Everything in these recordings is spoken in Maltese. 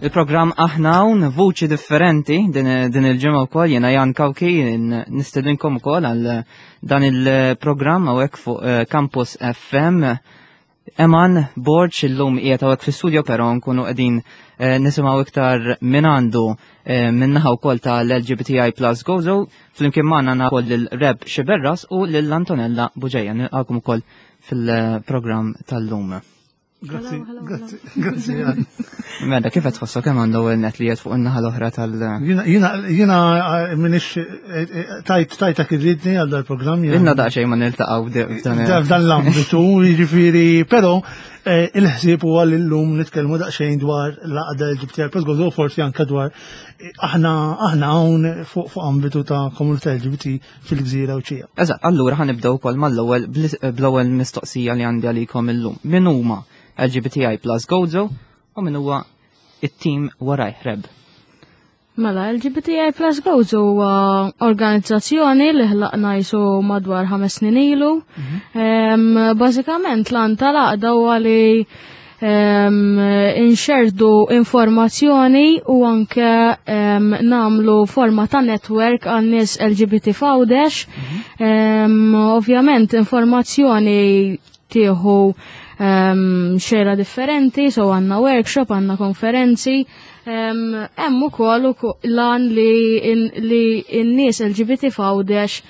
Il-programm Aħna Hawn, vuċi differenti din, din il-ġimgħa wkoll jiena Jan Kawki nistedinkom ukoll għal dan il-programm hawnhekk fuq eh, Campus FM. Eman Borġ illum qiegħed hawnhekk fl-istudio però nkunu qegħdin eh, nisimgħu iktar minn għandu eh, minnaħa wkoll tal-LGBTI Plus Gozo flimkien magħna għandna wkoll lil Reb Xiberras u lil Antonella Buġeja nilqakom ukoll fil-programm tal-lum. Grazzi, grazzi, grazzi. Mela, kif qed tħossok kemm għandu net li qed fuq in-naħa l-oħra tal- Jiena jiena eh, minix eh, eh, tajt tajtak irridni għal dal-programm. Inna daqsxejn ma niltaqgħu f'dan f'dan l-ambitu, jiġifieri, però il-ħsieb huwa li llum nitkellmu daqsxejn dwar l-għaqda LGBT plus gozo forsi anke dwar aħna aħna hawn fuq ambitu ta' komunità LGBT fil-gżira u ċija. Eżatt, allura ħanibdew ukoll mal-ewwel bl-ewwel mistoqsija li għandi għalikom illum. Min huma LGBTI Plus Gozo u min huwa it-tim warajh Reb? Mela, LGBTI Plus Gozo huwa organizzazzjoni li ħlaqna jisu madwar ħames snin ilu. Mhm. Bażikament l-għan tal-għaqda huwa li inxerdu informazzjoni u anke namlu forma ta' network għan nies LGBT f'Għawdex. Mhm. Ovvjament informazzjoni tieħu xera differenti, so għanna workshop, għanna konferenzi, hemm ukoll lan li n-nies LGBT f'Għawdex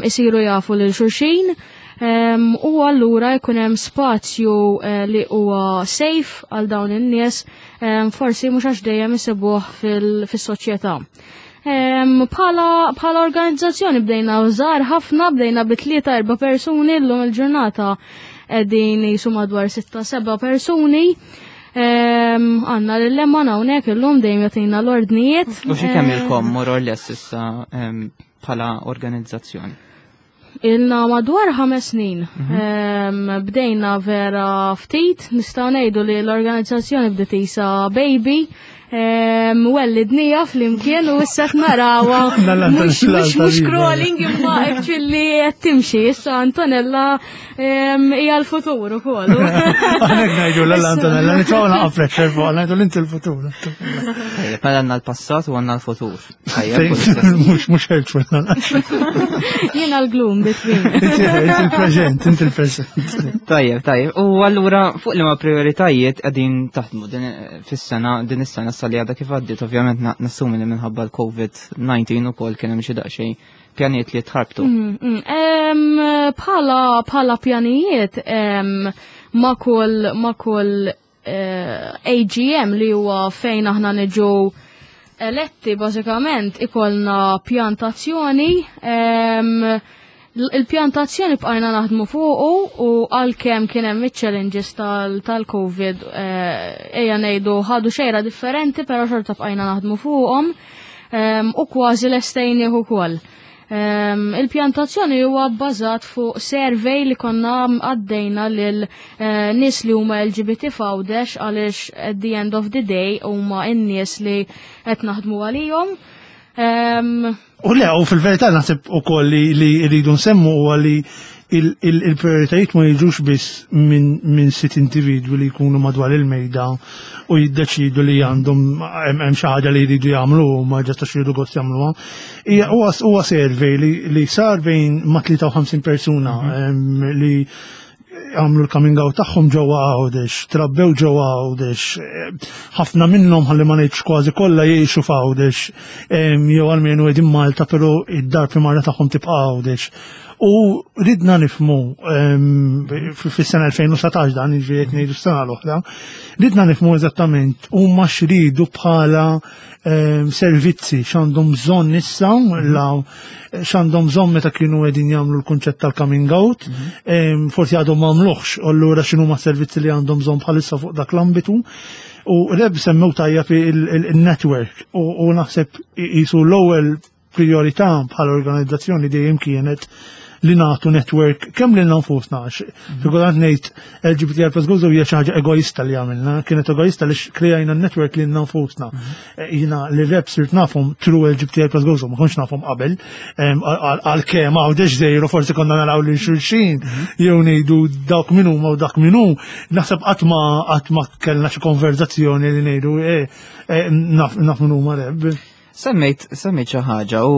isiru jafu lil xulxin U allura jkun hemm spazju eh, li huwa safe għal dawn in-nies, forsi mhux għax dejjem isibuh fis-soċjetà. Bħala organizzazzjoni bdejna żgħar ħafna, bdejna bi tlieta erba' persuni llum il-ġurnata qegħdin jisu madwar sitta seba' persuni. Għanna l-lemman hawnhekk illum dejjem jagħtina l-ordnijiet. U xi kemm ilkom more or less issa bħala organizzazzjoni? Ilna madwar ħames snin. Mhm. Bdejna vera ftit, nistgħu ngħidu li l-organizzazzjoni bdiet isa baby. Wellidnija flimkien u issa narawa mhux crawling imma actually qed timxi. Issa Antonella hija l-futur ukoll. Għalhekk ngħidu l Antonella, nitfgħu naqa' pressure fuq, ngħidu l-inti l-futur. Mela għandna l-passat u għandna l-futur. Mux, mux helpful. Jena l-gloom between. Inti il-present, inti il-present. Tajjeb, tajjeb. U allura fuq li ma prioritajiet qegħdin taħdmu din fis-sena, din is-sena sal għadha kif għaddiet, ovvjament nassumi li minħabba l-COVID-19 ukoll kien hemm xi daqsxejn pjanijiet li tħarbtu. Mm, mm. Bħala bħala pjanijiet ma kull ma kull eh, AGM li huwa fejn aħna niġu eletti bażikament ikollna pjantazzjoni il-pjantazzjoni bqajna naħdmu fuqu u għalkemm kien hemm iċ-challenges tal-COVID eh, ejja ngħidu ħadu xejra differenti però xorta bqajna naħdmu fuqhom u kważi lestejnih ukoll. Il-pjantazzjoni huwa bbażat fuq survey li konna għaddejna lil eh, nies li huma LGBT f'Għawdex għaliex at the end of the day huma n-nies li qed naħdmu għalihom. U le, u fil-verità naħseb ukoll li rridu nsemmu huwa li il-prioritajiet ma jiġux biss minn sit individwi li jkunu madwar il-mejda u jiddeċidu li għandhom hemm xi ħaġa li jridu jagħmlu u ma ġasta xi gost jagħmluha. Hija huwa survey li sar bejn ma' 53 persuna mhm. li għamlu l-coming out tagħhom ġewwa Għawdex, trabbew ġewwa Għawdex, ħafna minnhom ħalli ma ngħidx kważi kollha jgħixu f'Għawdex, jew almenu qegħdin Malta però id-dar primarja tagħhom tibqa' Għawdex. U ridna nifmu fis-sena 2019 dan jiġifieri qed ngħidu s-sena l-oħra, ridna nifmu eżattament huma x'ridu bħala servizzi x'għandhom bżonn issa la x'għandhom bżonn meta kienu qegħdin jagħmlu l-kunċett tal-coming out, mhm. forsi għadhom m'għamluhx, allura x'inhuma servizzi li għandhom bżonn bħalissa fuq dak l-ambitu. U reb semmew tajjeb il-network u naħseb jisu l-ewwel priorità bħala organizzazzjoni dejjem kienet li nagħtu network kemm lilna nfusna għax fil-kultant ngħid LGBTI plus Gozo hija xi ħaġa egoista li għamilna, kienet egoista li krejajna n-network lilna nfusna. Jiena li rep sirt nafhom through LGBTI plus Gozo, ma kontx nafhom qabel, għalkemm Għawdex żgħir u forsi konna naraw lil xulxin jew ngħidu dawk min huma u dak min hu, naħseb qatt ma qatt ma kellna xi konverzazzjoni li ngħidu naf naf min huma reb. Semmejt, semmejt xi ħaġa u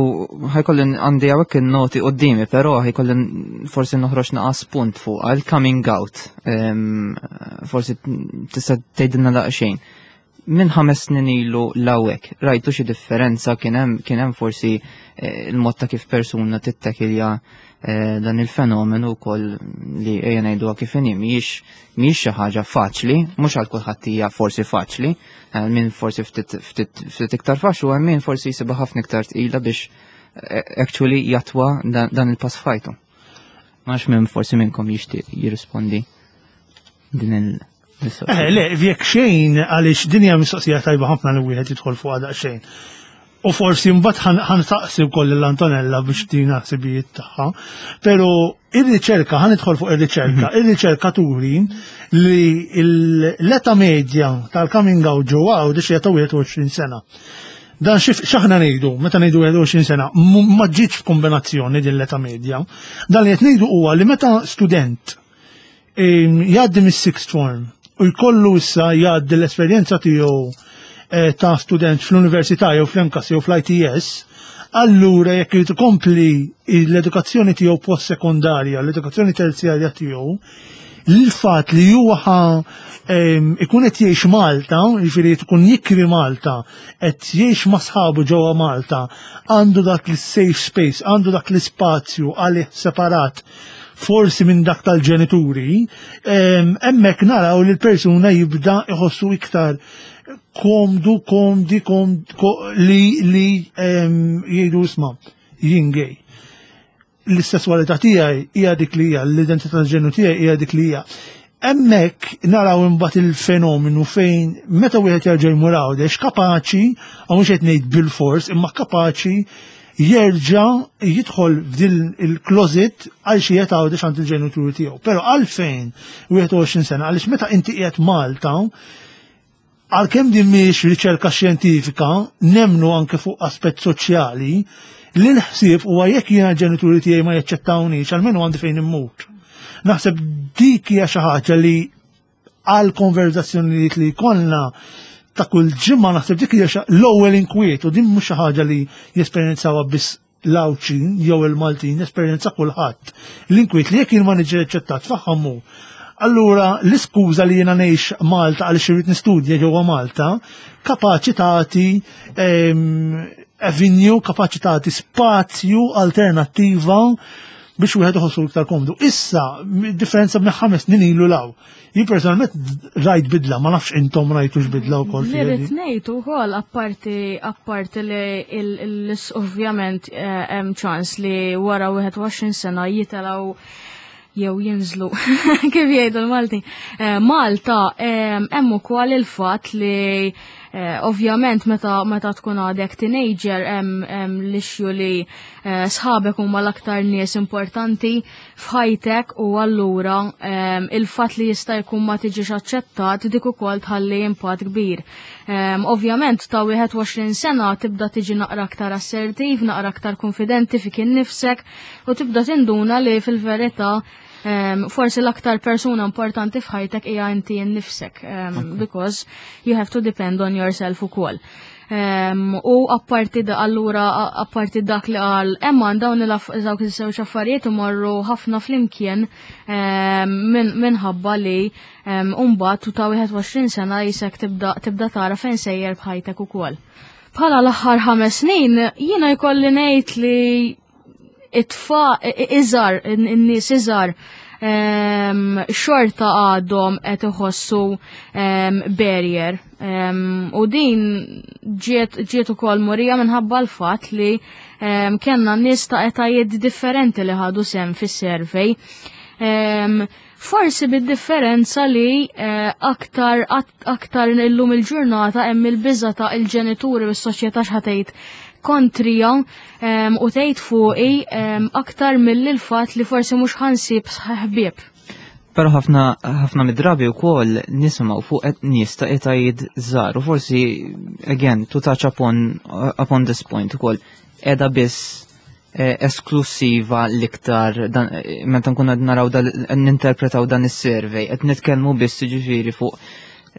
ħajkolli għandi hawnhekk in-noti quddiemi, però ħajkolli forsi noħroġ naqas punt fuq għal coming out. Forsi tista' tgħidilna daqsxejn. Minn 5 snin ilu l'hawnhekk, rajtu xi differenza, kien hemm forsi il-mod ta' kif persuna tittakilja dan il-fenomenu wkoll li ejja ngħiduha kif inhi mhijiex xi ħaġa faċli, mhux għal kulħadd hija forsi faċli, min forsi ftit ftit ftit iktar faċli u hemm min forsi jsibha ħafna iktar tqila biex actually jattwa dan il-pass f'ħajtu. Ma nafx minn forsi minnkom jixtieq jirrispondi din il- Le, jekk xejn, għaliex din hija mistoqsija tajba ħafna li wieħed jidħol fuq daqsxejn. U forsi mbagħad ħa nsaqsi wkoll l-Antonella biex tina ħsibijiet tagħha. Però ir-riċerka, ħa nidħol fuq ir-riċerka, ir-riċerka turi li l-età medja tal-coming out ġewwa Għawdex hija ta' 21 sena. Dan x'aħna ngħidu, meta ngħidu 21 sena, ma ġietx f'kombinazzjoni din l-età medja. Dan li qed ngħidu huwa li meta student jgħaddi mis-sixth form u jkollu issa jgħaddi l-esperjenza tiegħu ta' student fl-università jew fl-MCAST jew fl-ITS, allura jekk irid ikompli l-edukazzjoni tiegħu post-sekondarja, l-edukazzjoni terzjarja tiegħu, l-fatt li huwa ħa ikun qed jgħix Malta, jiġifieri tkun jikri Malta, qed jgħix ma' sħabu ġewwa Malta, għandu dak l-safe space, għandu dak l-ispazju għalih separat forsi minn dak tal-ġenituri, hemmhekk naraw li l-persuna jibda iħossu iktar komdu, komdi, komd, li jgħidu, "Isma', jien gay. L-sessualità tiegħi hija dik li hija, l-identità tal-ġenru tiegħi hija dik li hija." Hemmhekk naraw imbagħad il-fenomenu fejn meta wieħed jerġa' jmur Għawdex kapaċi, u mhux qed ngħid bil-fors, imma kapaċi jerġa' jidħol f'din il-closet għal xi qed Għawdex għand il-ġenituri tiegħu. Però għalfejn 21 sena? Għaliex meta inti qiegħed Malta, għalkemm din mhix riċerka xjentifika, nemnu anke fuq aspett soċjali, li l-ħsieb huwa jekk jiena l-ġenituri tiegħi ma jaċċettawnix, almenu għandi fejn immur. Naħseb dik hija xi ħaġa li għal konverzazzjonijiet li jkollna ta' kull ġimgħa, naħseb dik hija l-ewwel inkwiet u din mhux xi ħaġa li jesperjenzawha biss l-Għawdxin jew il-Maltin, esperjenza kulħadd. L-inkwiet li jekk jien ma niġi aċċettat faħħamu. Allura l-iskuża li jiena ngħix Malta għaliex irrid nistudja ġewwa Malta, kapaċi tagħti avenue, kapaċi tagħti spazju alternattiva biex wieħed iħossu iktar komdu. Issa, differenza minn 5 snin ilu 'l hawn. Jien personalment rajt bidla, ma nafx intom rajtux bidla wkoll. Li rrid ngħid ukoll apparti li ovvjament hemm ċans li wara 21 sena jitilgħu jew jinżlu, kif jgħidu l-Malti. Malta hemm ukoll il-fatt li ovvjament meta tkun għadek teenager hemm l-issue li sħabek huma l-aktar nies importanti f'ħajtek u allura il-fatt li jista' jkun ma tiġix aċċettat dik ukoll tħalli impatt kbir. Ovvjament ta' 21 sena tibda tiġi naqra aktar assertiv, naqra aktar konfidenti fik innifsek u tibda tinduna li fil-verità forsi l-aktar persuna importanti f'ħajtek hija inti innifsek because you have to depend on yourself ukoll. U apparti da allura apparti dak li qal Emma, dawn dawk iż-żewġ affarijiet imorru ħafna flimkien minħabba li mbagħad u ta' 21 sena jisek tibda tara fejn sejjer b'ħajtek ukoll. Bħala l-aħħar 5 snin jiena jkolli ngħid li it-tfa iżgħar, in-nies iżgħar xorta għadhom qed iħossu barrier. U din ġiet ukoll murija minħabba l-fatt li kellna nies ta' etajiet differenti li ħadu sehem fis-survey. Forsi bid-differenza li eh, aktar aktar illum il-ġurnata hemm il-biża ta' il-ġenituri u s-soċjetà x'ħatejt kontrija u tgħid fuqi aktar milli l-fatt li forsi mhux ħansib ħbieb. Però ħafna ħafna mid-drabi wkoll nisimgħu fuq qed nies ta' etajiet żgħar u forsi again to touch upon upon this point ukoll qiegħda biss eh, esklusiva l-iktar eh, meta nkunu qed naraw ninterpretaw dan is-survey qed nitkellmu biss jiġifieri fuq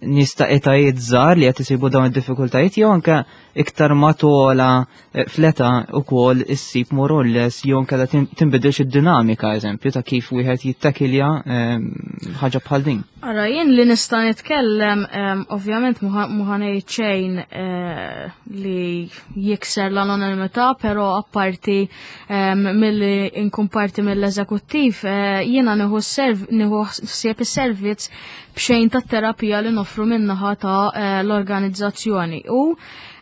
nies ta' etajiet żgħar li qed isibu dawn id-diffikultajiet jew anke iktar ma tola eh, fl-età ukoll issib more or less jew inkella tinbidilx id-dinamika eżempju ta' kif wieħed jittakilja ehm, ħaġa bħal din. Ara jien li nista' nitkellem ehm, ovvjament mhu ngħid xejn eh, li jikser l-anonimità, però apparti ehm, milli nkun parti mill-eżekuttiv eh, jiena nieħu nieħu ħsieb is-servizz b'xejn tat-terapija li noffru min-naħa ta' l-organizzazzjoni. U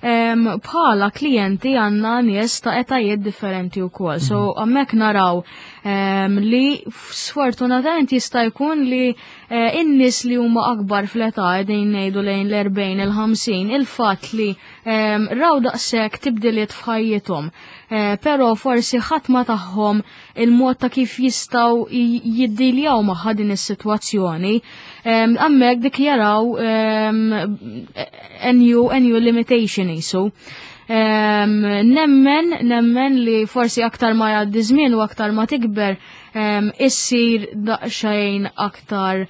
bħala klijenti għandna nies ta' etajiet differenti wkoll. So mhm. hemmhekk naraw li sfortunatament jista' jkun li eh, in-nies li huma akbar fl-età qegħdin ngħidu lejn l-40 il-50 il-fatt li raw daqshekk tibdiliet f'ħajjithom. Eh, però forsi ħadd ma tagħhom il-mod ta' kif jistgħu jiddiljaw magħha din is-sitwazzjoni. Hemmhekk dik jaraw a new, a new limitation jisu. Nemmen, nemmen li forsi aktar ma jgħaddi żmien u aktar ma tikber issir daqsxejn aktar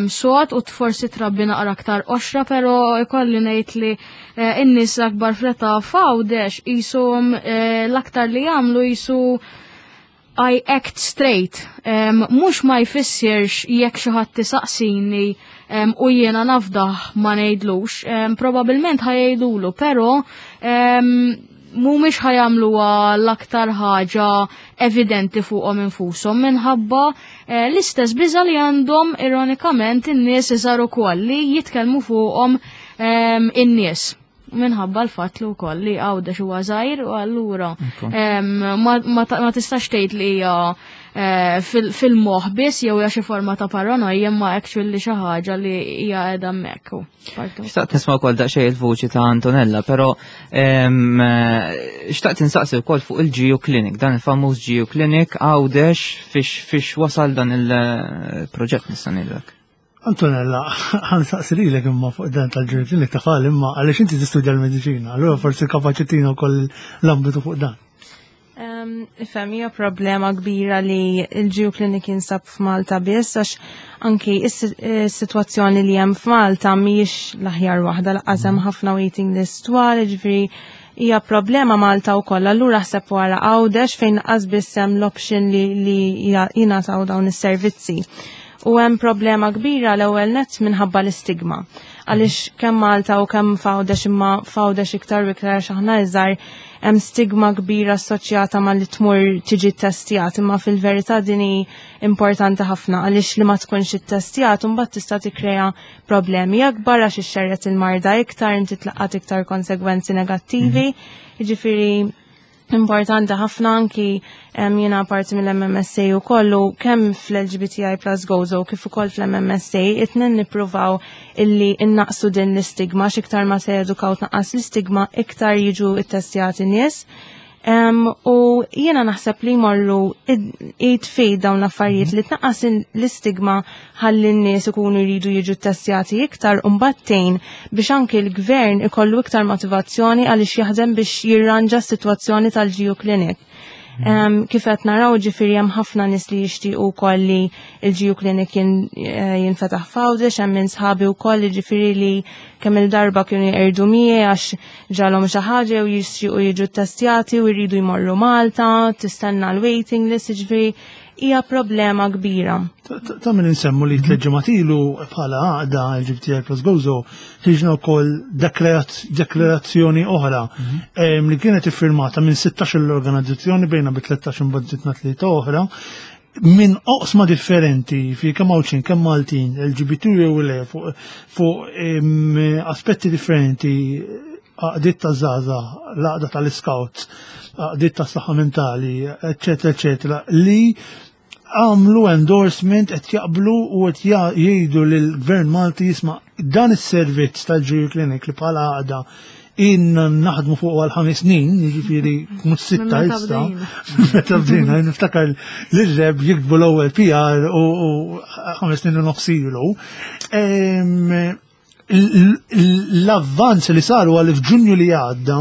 sod u forsi trabbi naqra aktar qoxra, pero ikolli ngħid li eh, in-nies akbar fl-età f'Għawdex qishom eh, l-aktar li jagħmlu jisu I act straight. Mhux ma jfissirx jekk xi ħadd tisaqsini u jiena nafdah ma ngħidlux, probabbilment ħajdulu, però mhumiex ħajamluha l-aktar ħaġa evidenti fuqhom infushom minħabba eh, l-istess biża li għandhom ironikament in-nies iżgħar ukoll li jitkellmu fuqhom in-nies minħabba l-fatt li wkoll li Għawdex huwa żgħir u allura ma tistax tgħid li hija eh, fil-moħħ biss jew hija xi forma ta' paranoja imma actually xi ħaġa li hija qiegħda hemmhekk. Xtaqt nisma' wkoll daqsxejn il-vuċi ta' Antonella, però eh, xtaqt insaqsi wkoll fuq il-Geo Clinic, dan il-famuż Geo Clinic Għawdex fiex wasal dan il-proġett nista' ngħidlek. Antonella, għan saqsi lilek imma fuq dan tal-Geo Clinic ta' fal imma għaliex inti tistudja l-mediċina, allura forsi kapaċi tina wkoll l-ambitu fuq dan. Ifhem, hija problema kbira li l-Geo Clinic jinsab f'Malta biss għax anki is-sitwazzjoni li hemm f'Malta mhijiex l-aħjar waħda lanqas hemm ħafna waiting list twal, jiġifieri hija problema Malta wkoll. Allura ħseb wara Għawdex fejn lanqas biss hemm l-option li, li jingħataw dawn is-servizzi. U hemm problema kbira l-ewwel nett minħabba l-istigma. Għaliex kemm Malta u kemm f'Għawdex imma f'Għawdex iktar u iktar għax aħna iżgħar hemm stigma kbira assoċjata ma li tmur tiġi ttestjat, imma fil-verità din hi importanti ħafna għaliex li ma tkunx ittestjat imbagħad tista' tikkrea problemi akbar għax ixxerred il-marda iktar, inti tlaqqat iktar konsegwenzi negattivi. Mhm. Jiġifieri importanti ħafna anki jiena parti mill-MMSA u kollu kemm fl-LGBTI plus Gozo kif ukoll fl-MMSA it-tnejn nippruvaw illi innaqsu din l-istigma x'iktar ma se jedukaw tnaqqas l-istigma iktar jiġu ittestjati nies. U jiena naħseb li jmorru id fid dawn l-affarijiet li tnaqqas l-istigma ħalli n-nies ikunu jridu jiġu ttestjati iktar u mbagħad tgħin biex anki l-gvern ikollu iktar motivazzjoni għaliex jaħdem biex jirranġa s-sitwazzjoni tal-GU Clinic. Kif qed naraw ġifieri hemm ħafna nies li jixtiequ wkoll li l-GU Clinic eh, jinfetaħ f'Għawdex, hemm minn sħabi wkoll ġifieri li kemm il-darba kienu jqerdu miegħi għax ġalhom xi ħaġa u jixtiequ jiġu ttestjati u jridu jmorru Malta, tistenna l-waiting list, ġifieri hija problema kbira. Ta' min insemmu li tliet ġimgħat ilu bħala għaqda LGBTI plus Gozo ħriġna wkoll deklarazzjoni oħra mhm. li kienet iffirmata minn 16 l-organizzazzjoni bejna bi 13 imbagħad żidna tlieta oħra minn oqsma differenti fi kemm Għawdxin, kemm Maltin, LGBT jew le fuq aspetti differenti għaqdiet ta' żgħażagħ, l-għaqda tal-scouts, għaqdiet ta' saħħa mentali, eċetera, eċetera, li għamlu endorsement qed jaqblu u qed jgħidu lill-Gvern Malti jisma' dan is-servizz tal-GU Clinic li bħala għaqda in naħdmu fuq għal 5 snin, jiġifieri mhux 6 issa. Meta bdejna, niftakar l-reb jiktbu l-ewwel PR u 5 snin u nofs ilu. L-avvanz li saru għal f'Ġunju li għadda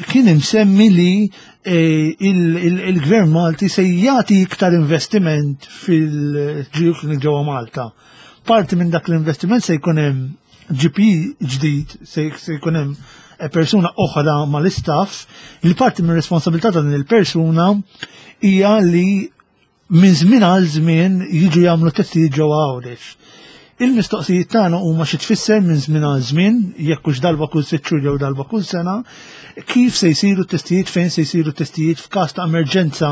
kien imsemmi li il-Gvern Malti se jagħti iktar investiment fil-GU Clinic ġewwa Malta. Parti minn dak l-investiment se jkun hemm GP ġdid, se jkun hemm persuna oħra mal-istaff, li parti minn responsabilità ta' din il-persuna hija li minn żmien għal żmien jiġu jagħmlu testijiet ġewwa Għawdex. Il-mistoqsijiet tagħna huma xi tfisser minn żmien għal żmien, jekk hux darba kull 6 xhur jew darba kull sena, kif se jsiru testijiet, fejn se jsiru testijiet f'każ ta' emerġenza,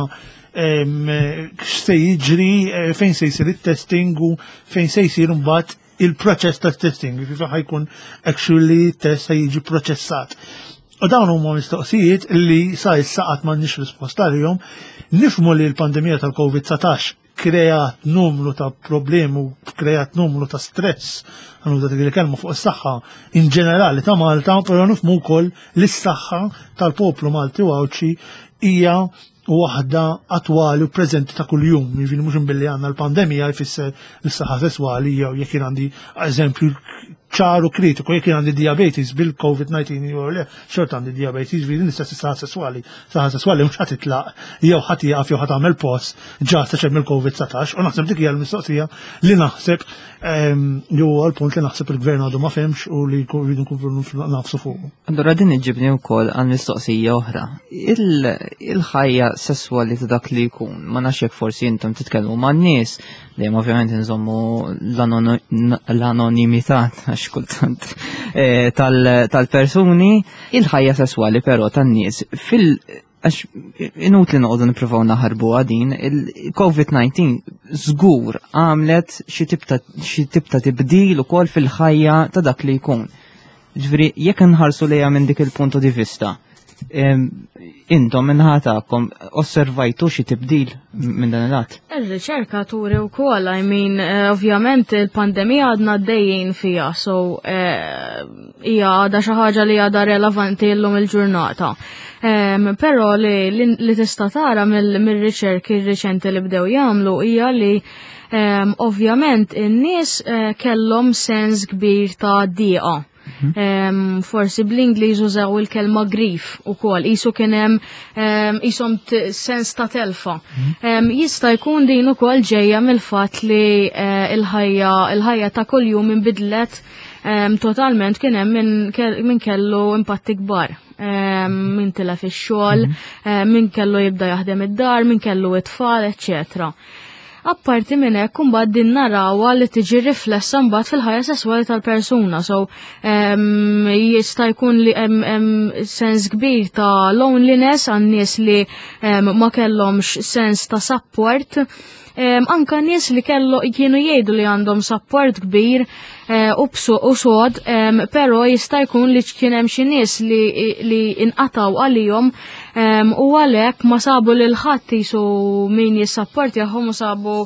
x'se jiġri, fejn se jsir it-testing u fejn se jsir mbagħad il-proċess ta' testing, kif ħa jkun actually test se jiġi proċessat. U dawn huma mistoqsijiet li sa issa qatt m'għandniex risposta għalihom. Nifhmu li l-pandemija tal-COVID-19 kreat numru ta' problemi u kreat numru ta' stress, ħa nuża dik il-kelma, fuq is-saħħa in ġenerali ta' Malta, però nifhmu wkoll li s-saħħa tal-poplu Malti u Għawdxi hija waħda attwali u preżenti ta' kuljum. Jiġifieri mhux billi għandna l-pandemija jfisser l-saħħa sesswali jew jekk jien għandi, eżempju ċaru kritiku, jekk jien għandi diabetes bil-COVID-19 jew le, xorta għandi diabetes, jiġifieri l-istess saħħa sesswali. Saħħa sesswali mhux ħa titlaq jew ħa tieqaf jew ħa tagħmel post ġa sa mill-COVID-19 u naħseb dik hija l-mistoqsija li naħseb jew għal-punt li naħseb il-gvern għadu ma fehemx u li rridu nkunu nagħfsu fuq. Allura din iġibni wkoll għal mistoqsija oħra. Il-ħajja sesswali ta' dak li jkun, ma nafx jekk forsi intom titkellmu ma' nies, dejjem ovvjament nżommu l-anonimità għax kultant tal-persuni, il-ħajja sesswali però tan-nies għax inutli noqogħdu nippruvaw naħarbu għadin, il-COVID-19 żgur għamlet xi tip ta' tibdil ukoll fil-ħajja ta' dak li jkun. Ġifieri, jekk nħarsu lejha minn dik il-punto di vista, intom min-naħa tagħkom osservajtu xi tibdil minn dan il-lat? Ir-riċerka turi wkoll, I mean, ovvjament il-pandemija għadna għaddejjin fija, so hija għadha xi ħaġa li għadha relevanti llum il-ġurnata. Però li tista' tara mill-riċerki riċenti li bdew jagħmlu hija li ovvjament in-nies kellhom sens kbir ta' diqa. Forsi bl-Ingliż użaw il-kelma grief ukoll, qisu kien hemm qishom sens ta' telfa. Jista' jkun din ukoll ġejja mill-fatt li il-ħajja ta' kuljum inbidlet totalment, kien hemm min kellu impatti kbar. Min tilef ix-xogħol, min kellu jibda jaħdem id-dar, min kellu it-tfal, eċċetera. Apparti minn hekk, imbagħad din narawha li tiġi riflessa mbagħad fil-ħajja sesswali tal-persuna. So jista' jkun li hemm sens kbir ta' loneliness għan nies li ma kellhomx sens ta' support. Anka nies li kellu kienu jgħidu li għandhom support kbir u bsu u sod, però jista' jkun li kien hemm xi nies li inqataw għalihom u għalhekk ma sabu lil ħadd jisu min jissapportjahom u sabu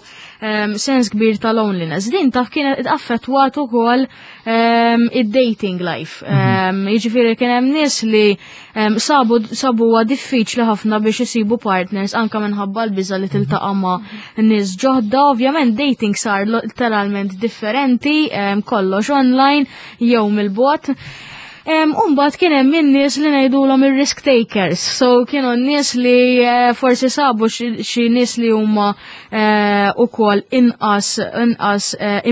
sens kbir ta' loneliness. Din taf kienet affettwat ukoll id-dating life. Jiġifieri kien hemm nies li sabu huwa diffiċli ħafna biex isibu partners anka minħabba l-biża li tiltaqa' ma' nies ġodda. Ovvjament dating sar literalment differenti, kollox online jew mill-bogħod. Umbagħad kien hemm in-nies li ngħidulhom ir-risk takers. So kienu n-nies li forsi sabu xi nies li huma ukoll inqas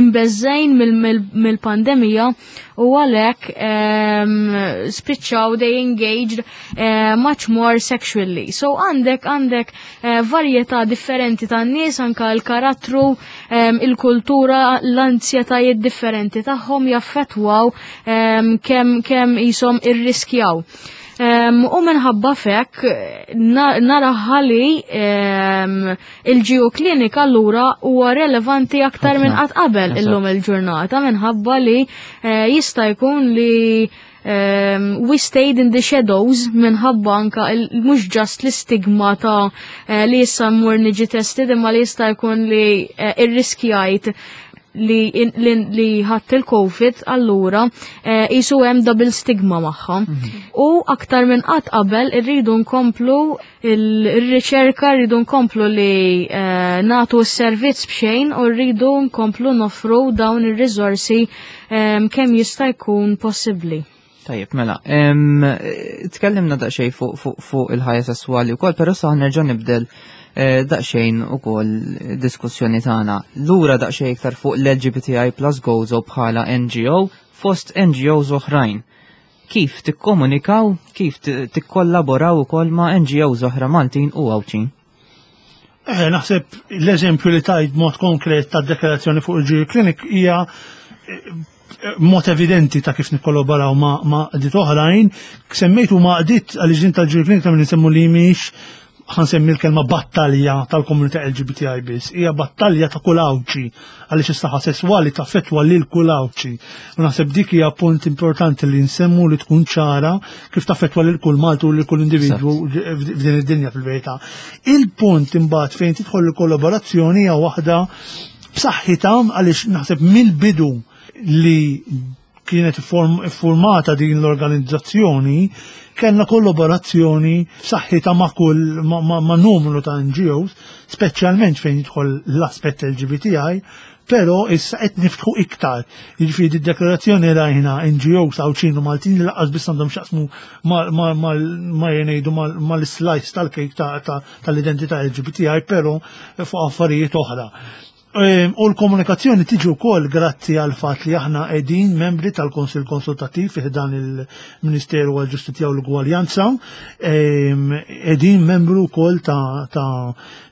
imbeżżgħin mill-pandemija u għalhekk spiċċaw they engaged much more sexually. So għandek varjetà differenti ta' nies, anka l-karattru, il-kultura, l-anzjetajiet differenti tagħhom jaffettwaw kemm qishom irriskjaw. U minħabba fek naraha li il-GU Clinic allura huwa relevanti aktar minn qatt qabel illum il-ġurnata minħabba li jista' jkun li We stayed in the shadows minħabba anka mhux just l-istigma ta' li issa mmur niġi tested, imma li jista' jkun li irriskjajt li ħadd il-COVID, allura jisu hemm double stigma magħha. U aktar minn qatt qabel irridu nkomplu il-riċerka, rridu nkomplu li nagħtu s-servizz b'xejn u rridu nkomplu noffru dawn ir-riżorsi kemm jista' jkun possibbli. Tajjeb, mela, tkellimna daqsxejn fuq il-ħajja sesswali wkoll, però sa nerġa' nibdel daqsxejn ukoll diskussjoni tagħna. Lura daqsxejn iktar fuq l-LGBTI plus Gozo bħala NGO fost NGOs oħrajn. Kif tikkomunikaw, kif tikkollaboraw ukoll ma' NGOs oħra Maltin u Għawdxin? Naħseb l-eżempju li tajt mod konkret ta' deklarazzjoni fuq il-GU Clinic hija mod evidenti ta' kif nikkollaboraw ma' għaqdiet oħrajn. Semmejtu ma' għaqdiet għal tal-GU Clinic ta' minn li mhix, ħa nsemmi l-kelma, battalja tal-komunità LGBTI biss, hija battalja ta' kull Għawdxi, għaliex is-saħħa sesswali taffettwa lil kull Għawdxi. U naħseb dik hija punt importanti li nsemmu, li tkun ċara kif taffettwa lil kull Malti u lil kull individwu f'din id-dinja fil-verità. Il-punt imbagħad fejn tidħol il-kollaborazzjoni hija waħda b'saħħitha, għaliex naħseb mill-bidu li kienet formata din l-organizzazzjoni kellna kollaborazzjoni b'saħħitha ma' kull ma' numru ta' NGOs, speċjalment fejn jidħol l-aspett LGBTI, però issa qed niftħu iktar. Jiġifieri d-deklarazzjoni rajna NGOs Għawdxin u Maltin li lanqas biss għandhom x'jaqsmu ma jgħidu mal-slice tal-kejk tal-identità LGBTI, però fuq affarijiet oħra. U l-komunikazzjoni tiġi wkoll grazzi għal fatt li aħna qegħdin membri tal-Konsil Konsultattiv fi dan il-Ministeru għal-Ġustizzja u l-Ugwaljanza, qegħdin membru wkoll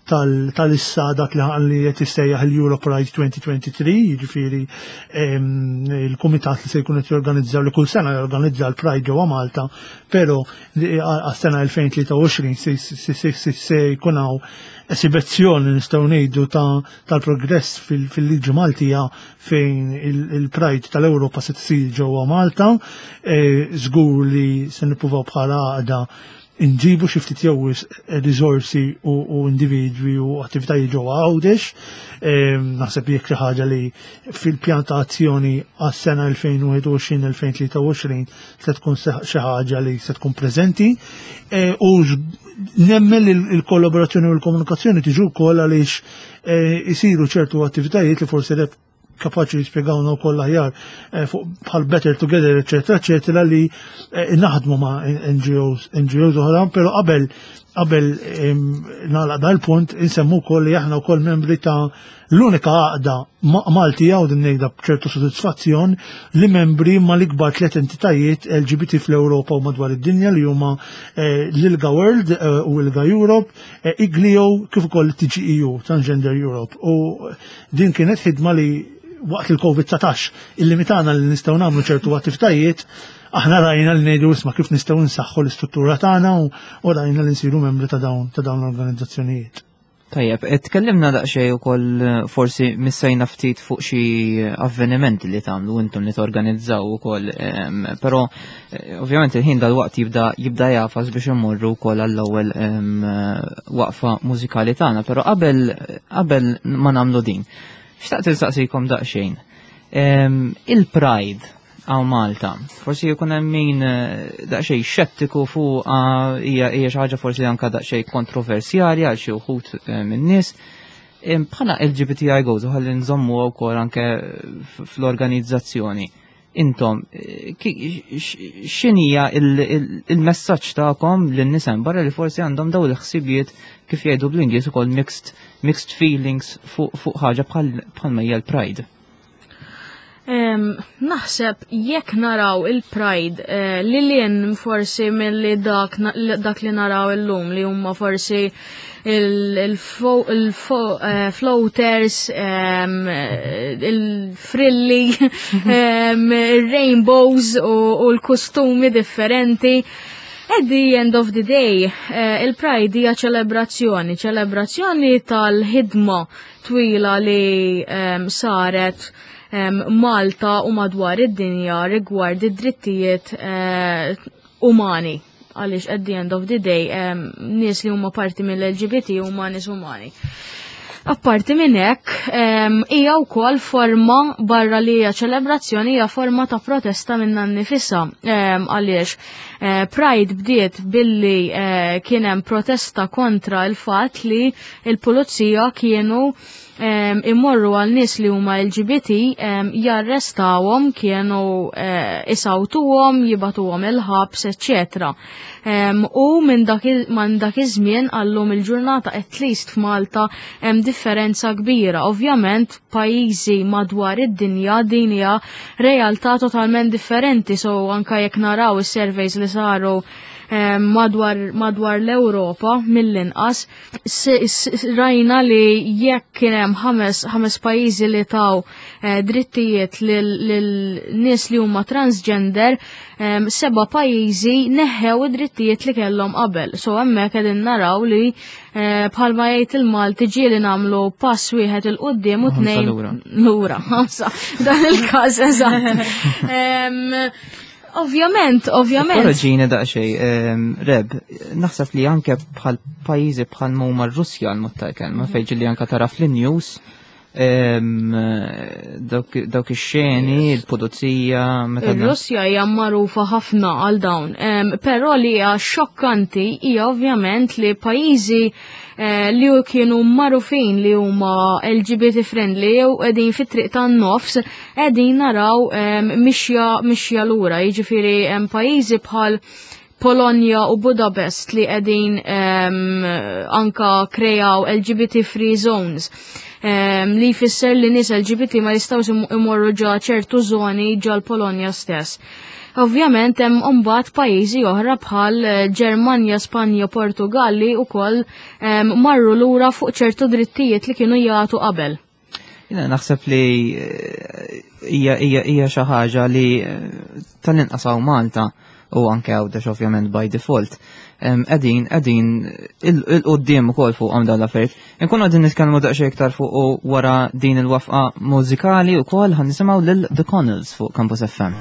tal-issa dak li qed jissejjaħ il-Europe Pride 2023, jiġifieri il-kumitat li se jkun qed jorganizza, li kull sena jorganizza l-Pride ġewwa Malta, però għas-sena 2023 se jkun hawn esibizzjoni, nistgħu ngħidu, tal-progress fil-liġi Maltija fejn il-Pride tal-Ewropa se tsir ġewwa Malta. Żgur li se nippruvaw bħala għaqda inġibu xi ftit jew riżorsi u individwi u attivitajiet ġewwa Għawdex. Naħseb jekk xi ħaġa li fil-pjan ta' azzjoni għas-sena 2021-2023 se tkun xi ħaġa li se tkun preżenti. U nemmen il-kollaborazzjoni u l-komunikazzjoni tiġu wkoll għaliex isiru ċertu attivitajiet li forsi kapaċi jispjegawna wkoll aħjar fuq bħal Better Together, eċetera, eċetera, li naħdmu ma' NGOs, NGOs oħra, però qabel nagħlaq dal-punt insemmu wkoll li aħna wkoll membri ta' l-unika għaqda Maltija, u din ngħidha b'ċertu sodisfazzjon, li membri ma l-ikbar tliet entitajiet LGBT fl-Ewropa u madwar id-dinja, li huma l-ILGA World u ILGA Europe, IGLYO, kif ukoll TGEU, Transgender Europe. U din kienet ħidma li waqt il-COVID-19 illimitana li nistgħu nagħmlu ċertu attivitajiet, aħna rajna li ngħidu, "Isma', kif nistgħu nsaħħu l-istruttura tagħna?" u rajna li nsiru membri ta' dawn l-organizzazzjonijiet. Tajjeb, tkellimna daqsxejn ukoll, forsi missejna ftit fuq xi avvenimenti li tagħmlu intom, li torganizzaw ukoll, però ovvjament il-ħin dal-waqt jibda jagħfas biex immorru wkoll għall-ewwel waqfa mużikali tagħna, però qabel ma nagħmlu din, xtaqt insaqsikom daqsxejn. Il-Pride hawn Malta, forsi jkun hemm min daqsxejn xettiku fuq, hija xi ħaġa forsi anka daqsxejn kontroversjali għal xi wħud min-nies. Bħala LGBTI Gozo, ħalli nżommu wkoll anke fl-organizzazzjoni, intom x'inhija il-messaġġ tagħkom lin-nies barra li forsi għandhom dawn il-ħsibijiet, kif jgħidu bl-Ingliż ukoll mixed feelings fuq ħaġa bħal hija l-Pride? Naħseb jekk naraw il-Pride li lien forsi mill-li dak li naraw illum, li huma forsi il-floaters, il-frilli, il-rainbows u l-kostumi differenti. At the end of the day, il-Pride hija ċelebrazzjoni, ċelebrazzjoni tal-ħidma twila li saret. Malta u madwar id-dinja rigward id-drittijiet umani. Għaliex at the end of the day nies li huma parti mill-LGBT huma nies umani. Apparti minn hekk, hija wkoll forma barra li hija ċelebrazzjoni, hija forma ta' protesta minnha nnifisha, għaliex Pride bdiet billi kien hemm protesta kontra l-fatt li l-pulizija kienu imorru għal nies li huma LGBT, jarrestawhom, kienu isawtuhom, jibatuhom il-ħabs, eċċetera. U minn dak iż-żmien għallum il-ġurnata at least f'Malta hemm differenza kbira. Ovvjament pajjiżi madwar id-dinja din hija realtà totalment differenti, so anka jekk naraw is-surveys li saru madwar l-Ewropa mill-inqas, rajna li jekk kien hemm ħames pajjiżi li taw drittijiet lil nies li huma transgender, 7 pajjiżi neħħew id-drittijiet li kellhom qabel. So hemmhekk qegħdin naraw li bħalma jgħid il-Malti ġieli nagħmlu pass wieħed il quddiem u Ħamsa tnejn lura. lura. Ħamsa. Dan il-każ eżatt. Ovvjament, ovvjament. Korreġini daqsxejn, Reb, naħseb li anke bħal pajjiżi bħal huma r-Russja għal mod tal-kelma, fejn ġieli anke tara fl-news, dawk ix-xeni, il-pulizija, meta Ir-Russja hija magħrufa ħafna għal dawn, però li hija xokkanti hija ovvjament li pajjiżi li kienu magħrufin li huma LGBT friendly jew qegħdin fit-triq tan-nofs qegħdin naraw mixja lura, jiġifieri hemm pajjiżi bħal Polonja u Budapest li qegħdin anka krejaw LGBT free zones. Li jfisser li nies LGBT ma jistgħux imorru ġa ċertu zoni ġa l-Polonja stess. Ovvjament hemm imbagħad pajjiżi oħra bħal Ġermanja, Spanja, Portugal li wkoll marru lura fuq ċertu drittijiet li kienu jagħtu qabel. Jiena naħseb li hija xi ħaġa li tal-inqas hawn Malta u anke Għawdex ovvjament by default. Qegħdin il-qudiem ukoll fuq dawn l-affarijiet. Inkunu qegħdin nitkellmu daqsxejn iktar fuq u wara din il-wafqa mużikali wkoll ħan nisimgħu lil The Connells fuq Campus FM.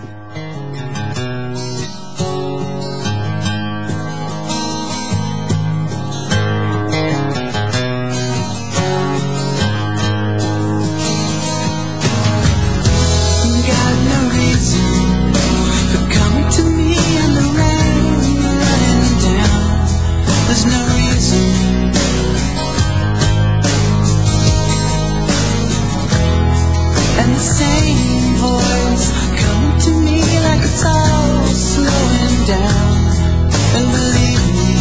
Same voice come to me like it's all slowing down. And believe me,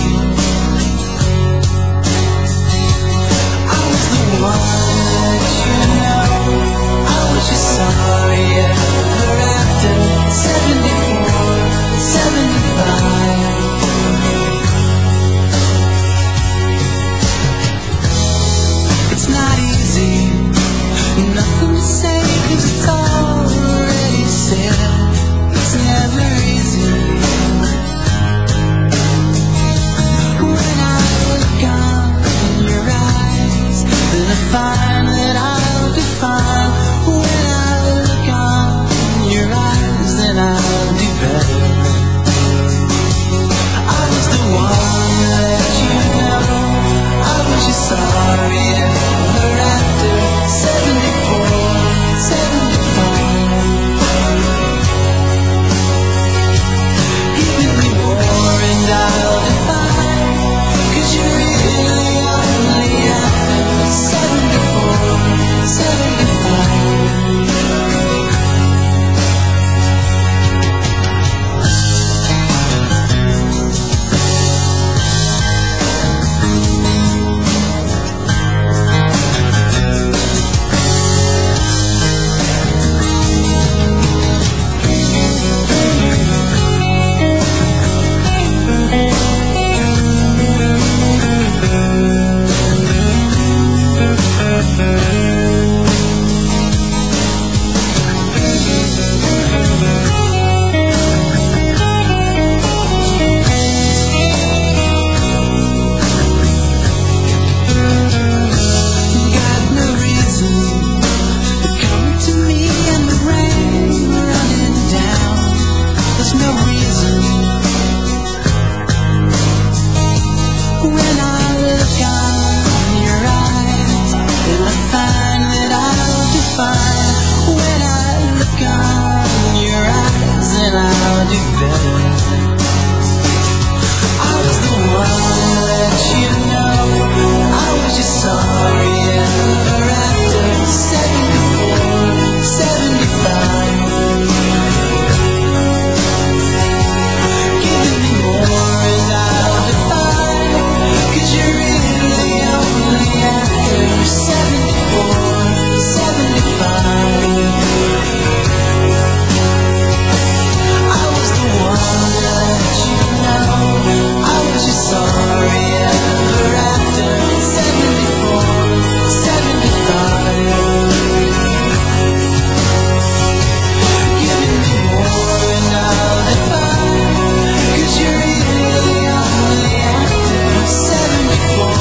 I was the one that you know. I was just sorry ever after. 74, 75. It's not easy, nothing to say, because it's already said. It's never easy. do better. I was the one to let you know I was just sorry ever after. 74, 75. Giving me more and I'll defy. 'Cause you're really only after 74, 75. I was the one to let you know I was just sorry ever after. 74, 75. Giving me more and I'll defy. 'Cause you're really only after 74,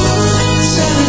75.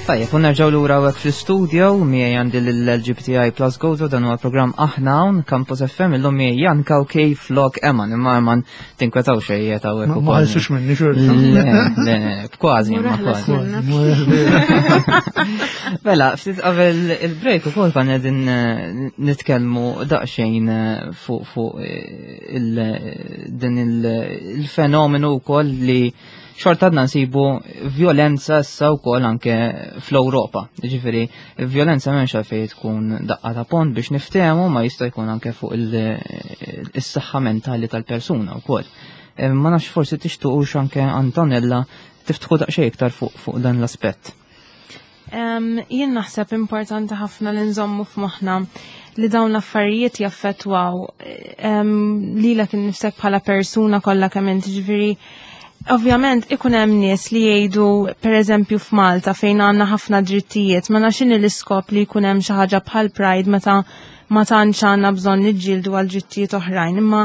Tajjeb, u nerġgħu lura hawnhekk fl-istudio miegħi għandi l-LGBTI Plus Gozo, dan huwa programm Aħna Hawn, Campus FM, illum miegħi Jan Cauchi flok Eman, imma Eman tinkwetaw xejn qiegħed hawnhekk Ma ukoll. ħalsux minni xorta. Le, le, le, kważi, imma Mur aħlas kważi. minnek. Mela, ftit qabel il-break ukoll konna qegħdin nitkellmu daqsxejn fuq din il-fenomenu wkoll li xorta għadna nsibu violenza issa wkoll anke fl-Ewropa. Jiġifieri, violenza m'hemmx għalfejn tkun daqqa ta' pont biex niftehmu, ma jista' jkun anke fuq is-saħħa mentali tal-persuna wkoll. Ma nafx forsi tixtuqux anke Antonella tiftħu daqsxejn iktar fuq dan l-aspett. Jien naħseb importanti ħafna li nżommu f'moħħna li dawn l-affarijiet jaffettwaw lilek innifsek bħala persuna kollha kemm inti, ġifieri ovvjament ikun hemm nies li jgħidu pereżempju f'Malta fejn għandna ħafna drittijiet, ma nafx inhi l-iskop li jkun hemm xi ħaġa bħal Pride meta ma tantx għandna bżonn niġġieldu għal drittijiet oħrajn, imma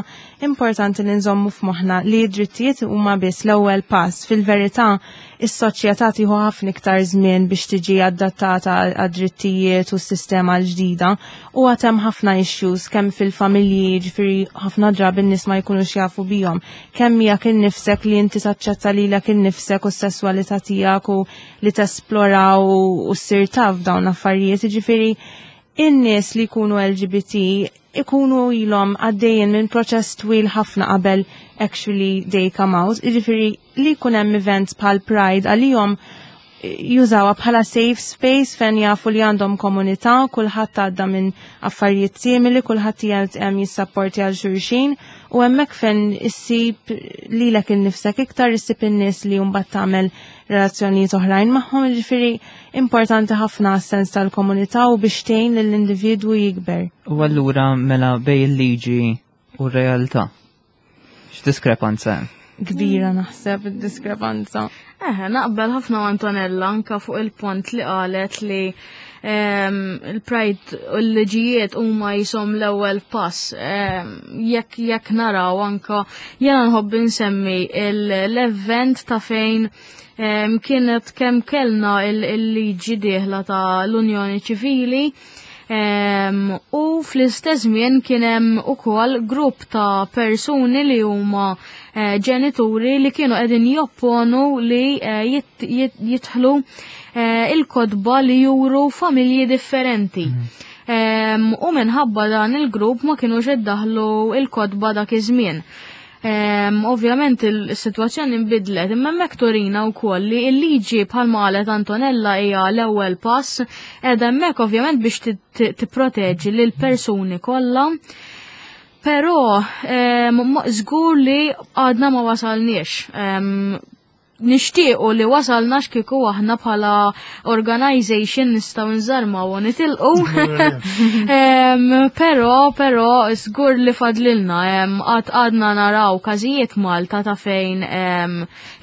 importanti li nżommu f'moħħna li d-drittijiet huma biss l-ewwel pass. Fil-verità, is-soċjetà tieħu ħafna iktar żmien biex tiġi adattata għad-drittijiet u s-sistema l-ġdida, u għad hemm ħafna issues kemm fil-familji, ġifieri ħafna drabi n-nies ma jkunux jafu bihom, kemm miegħek innifsek li inti taċċetta lilek innifsek u s-sesswalità tiegħek u li tesplora u ssir taf dawn l-affarijiet, ġifieri in-nies li jkunu LGBT ikunu ilhom għaddejjin minn proċess twil ħafna qabel actually they come out. Jiġifieri li jkun hemm events bħal Pride għalihom jużawha bħala safe space fejn jafu li għandhom komunità, kulħadd għadda minn affarijiet simili, kulħadd qiegħed hemm jissapporti għal xulxin, u hemmhekk fejn issib lilek innifsek iktar, issib in-nies li mbagħad tagħmel relazzjonijiet oħrajn magħhom, jiġifieri importanti ħafna s-sens tal-komunità u biex tgħin lill-individwu jikber. U allura mela bej il-liġi u r-realtà, x'diskrepanza hemm? Kbira naħseb id-diskrepanza. Eħe, naqbel ħafna ma' Antonella anka fuq il-pont li qalet li il-Pride u l-liġijiet huma jisom l-ewwel pass. Jekk naraw anka jiena nħobb insemmi l-event ta' fejn kienet kemm kellna il-liġi dieħla ta' l-Unjoni Ċivili, u fl-istess żmien kien hemm ukoll grupp ta' persuni li huma ġenituri li kienu qegħdin jopponu li jidħlu il-kotba li juru familji differenti. U minħabba dan il-grupp ma kienux iddaħlu il-kotba dak iż-żmien. Ovvjament il-sitwazzjoni nbidlet, imma hemmhekk turina wkoll li l-liġi bħalma qalet Antonella hija l-ewwel pass, qiegħda hemmhekk ovvjament biex tipproteġi lil persuni kollha. Però żgur li għadna ma wasalniex. Nixtiequ li wasalna x'kieku aħna bħala organization nistgħu nżarmaw u nitilqu. Però żgur li fadlilna qatt għadna naraw każijiet Malta ta' fejn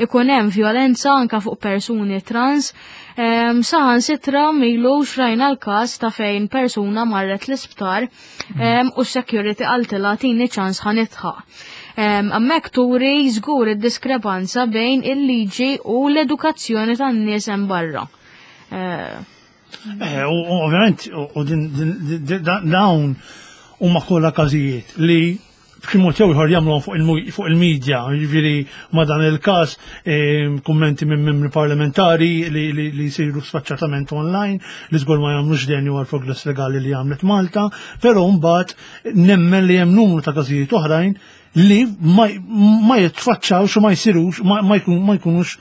ikun hemm vjolenza anka fuq persuni trans. Saħansitra milux rajna l-każ ta' fejn persuna marret l-isptar u s-security qaltilha tini ċans ħa nidħaq. Hemmhekk turi żgur id-diskrepanza bejn il-liġi u l-edukazzjoni tan-nies hemm barra. U ovvjament, u din dawn huma kollha każijiet li b'xi mod jew ieħor jagħmluhom fuq il-medja, jiġifieri ma' dan il-każ kummenti minn membri parlamentari li jsiru sfaċċatament online li żgur ma jagħmlux denju għal progress legali li għamlet Malta, però mbagħad nemmen li hemm numru ta' każijiet oħrajn li ma jitfaċċawx u ma jsirux, ma jkunux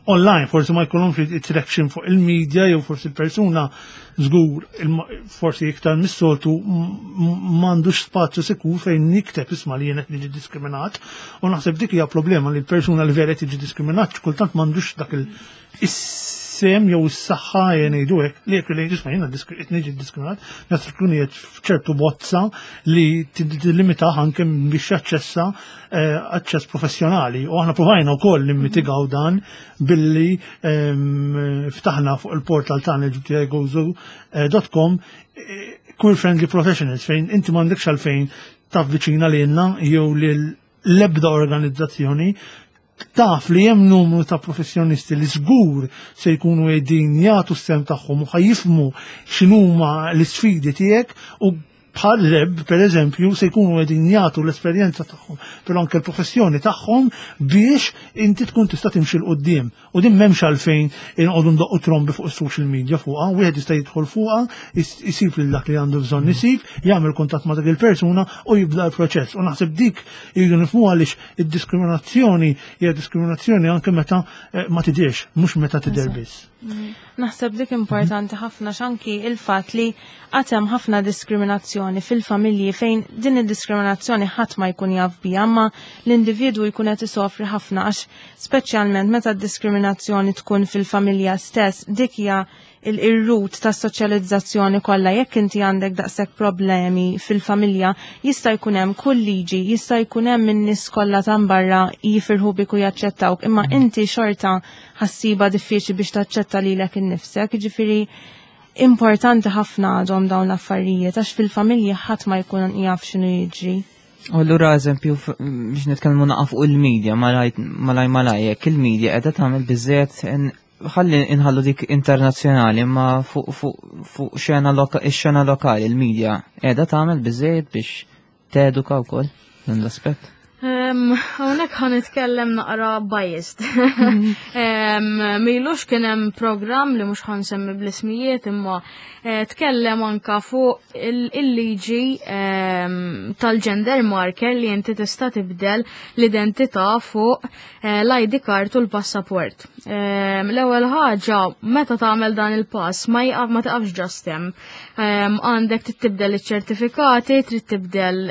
online, forsi ma jkunhomx it-traction fuq il-media jew forsi l-persuna żgur forsi iktar mis-soltu m'għandux spazju sikur fejn nikteb isma' li jien qed niġi diskriminat, u naħseb dik hija problema li l-persuna li vera tiġi diskriminat kultant m'għandux dak il-sem jew is-saħħa jien ngħidu hekk li jekk li jisma' jiena qed niġi diskriminat, naħseb tkun qiegħed f'ċertu bozza li tillimitah anke biex jaċċessa aċċess professjonali. U aħna provajna wkoll nimmitigaw dan billi ftaħna fuq il-portal tagħna LGBTI dot com, queer friendly professionals, fejn inti m'għandekx għalfejn tavviċina lilna jew lil l-ebda organizzazzjoni, taf li hemm numru ta' professjonisti li żgur se jkunu qegħdin jagħtu s-sehem tagħhom u ħa jifhmu x'inhuma l-isfidi tiegħek, u bħal Reb, per eżempju, se jkunu qegħdin jagħtu l-esperjenza tagħhom, però anke l-professjoni tagħhom biex inti tkun tista' timxi 'l quddiem. U din m'hemmx għalfejn inqogħdu ndoqqu trombi fuq is-social media fuqha, wieħed jista' jidħol fuqha, isib lil dak li għandu bżonn isib, jagħmel kuntatt ma' dak il-persuna u jibda l-proċess. U naħseb dik jridu nifhmu għaliex id-diskriminazzjoni hija diskriminazzjoni anke meta ma tidirx, mhux meta tidher biss. Naħseb dik importanti ħafna, x'anki il-fatt li għad hemm ħafna diskriminazzjoni fil-familji fejn din id-diskriminazzjoni ħadd ma jkun jaf biha, imma l-individwu jkun qed isofri ħafna, għax speċjalment meta d-diskriminazzjoni tkun fil-familja stess, dik hija il-root ta' soċjalizzazzjoni kollha. Jekk inti għandek daqshekk problemi fil-familja, jista' jkun hemm kull liġi, jista' jkun hemm in-nies kollha ta' barra jifirħu bik u jaċċettawk, imma inti xorta ħa ssibha diffiċli biex taċċetta lilek innifsek. Ġifieri importanti ħafna għadhom dawn l-affarijiet, għax fil-familja ħadd ma jkun jaf x'inhu jiġri. U allura, eżempju, biex nitkellmu naqa fuq il-medja, malaj malaj malaj, jekk il-medja qiegħda tagħmel biżejjed, ħalli inħallu dik internazzjonali, ma fuq ix-xena lokali, il-medja qiegħda tagħmel biżejjed biex teduka wkoll dan l-aspett? Hawnhekk ħa nitkellem naqra biased. Milux kien hemm program li mhux ħa nsemmi bl-ismijiet, imma tkellem anka fuq il-liġi tal-gender marker li inti tista' tibdel l-identità fuq l-ID card u l-passaport. L-ewwel ħaġa, meta tagħmel dan il-pass ma taqafx just hemm. Għandek trid tibdel iċ-ċertifikati, trid tibdel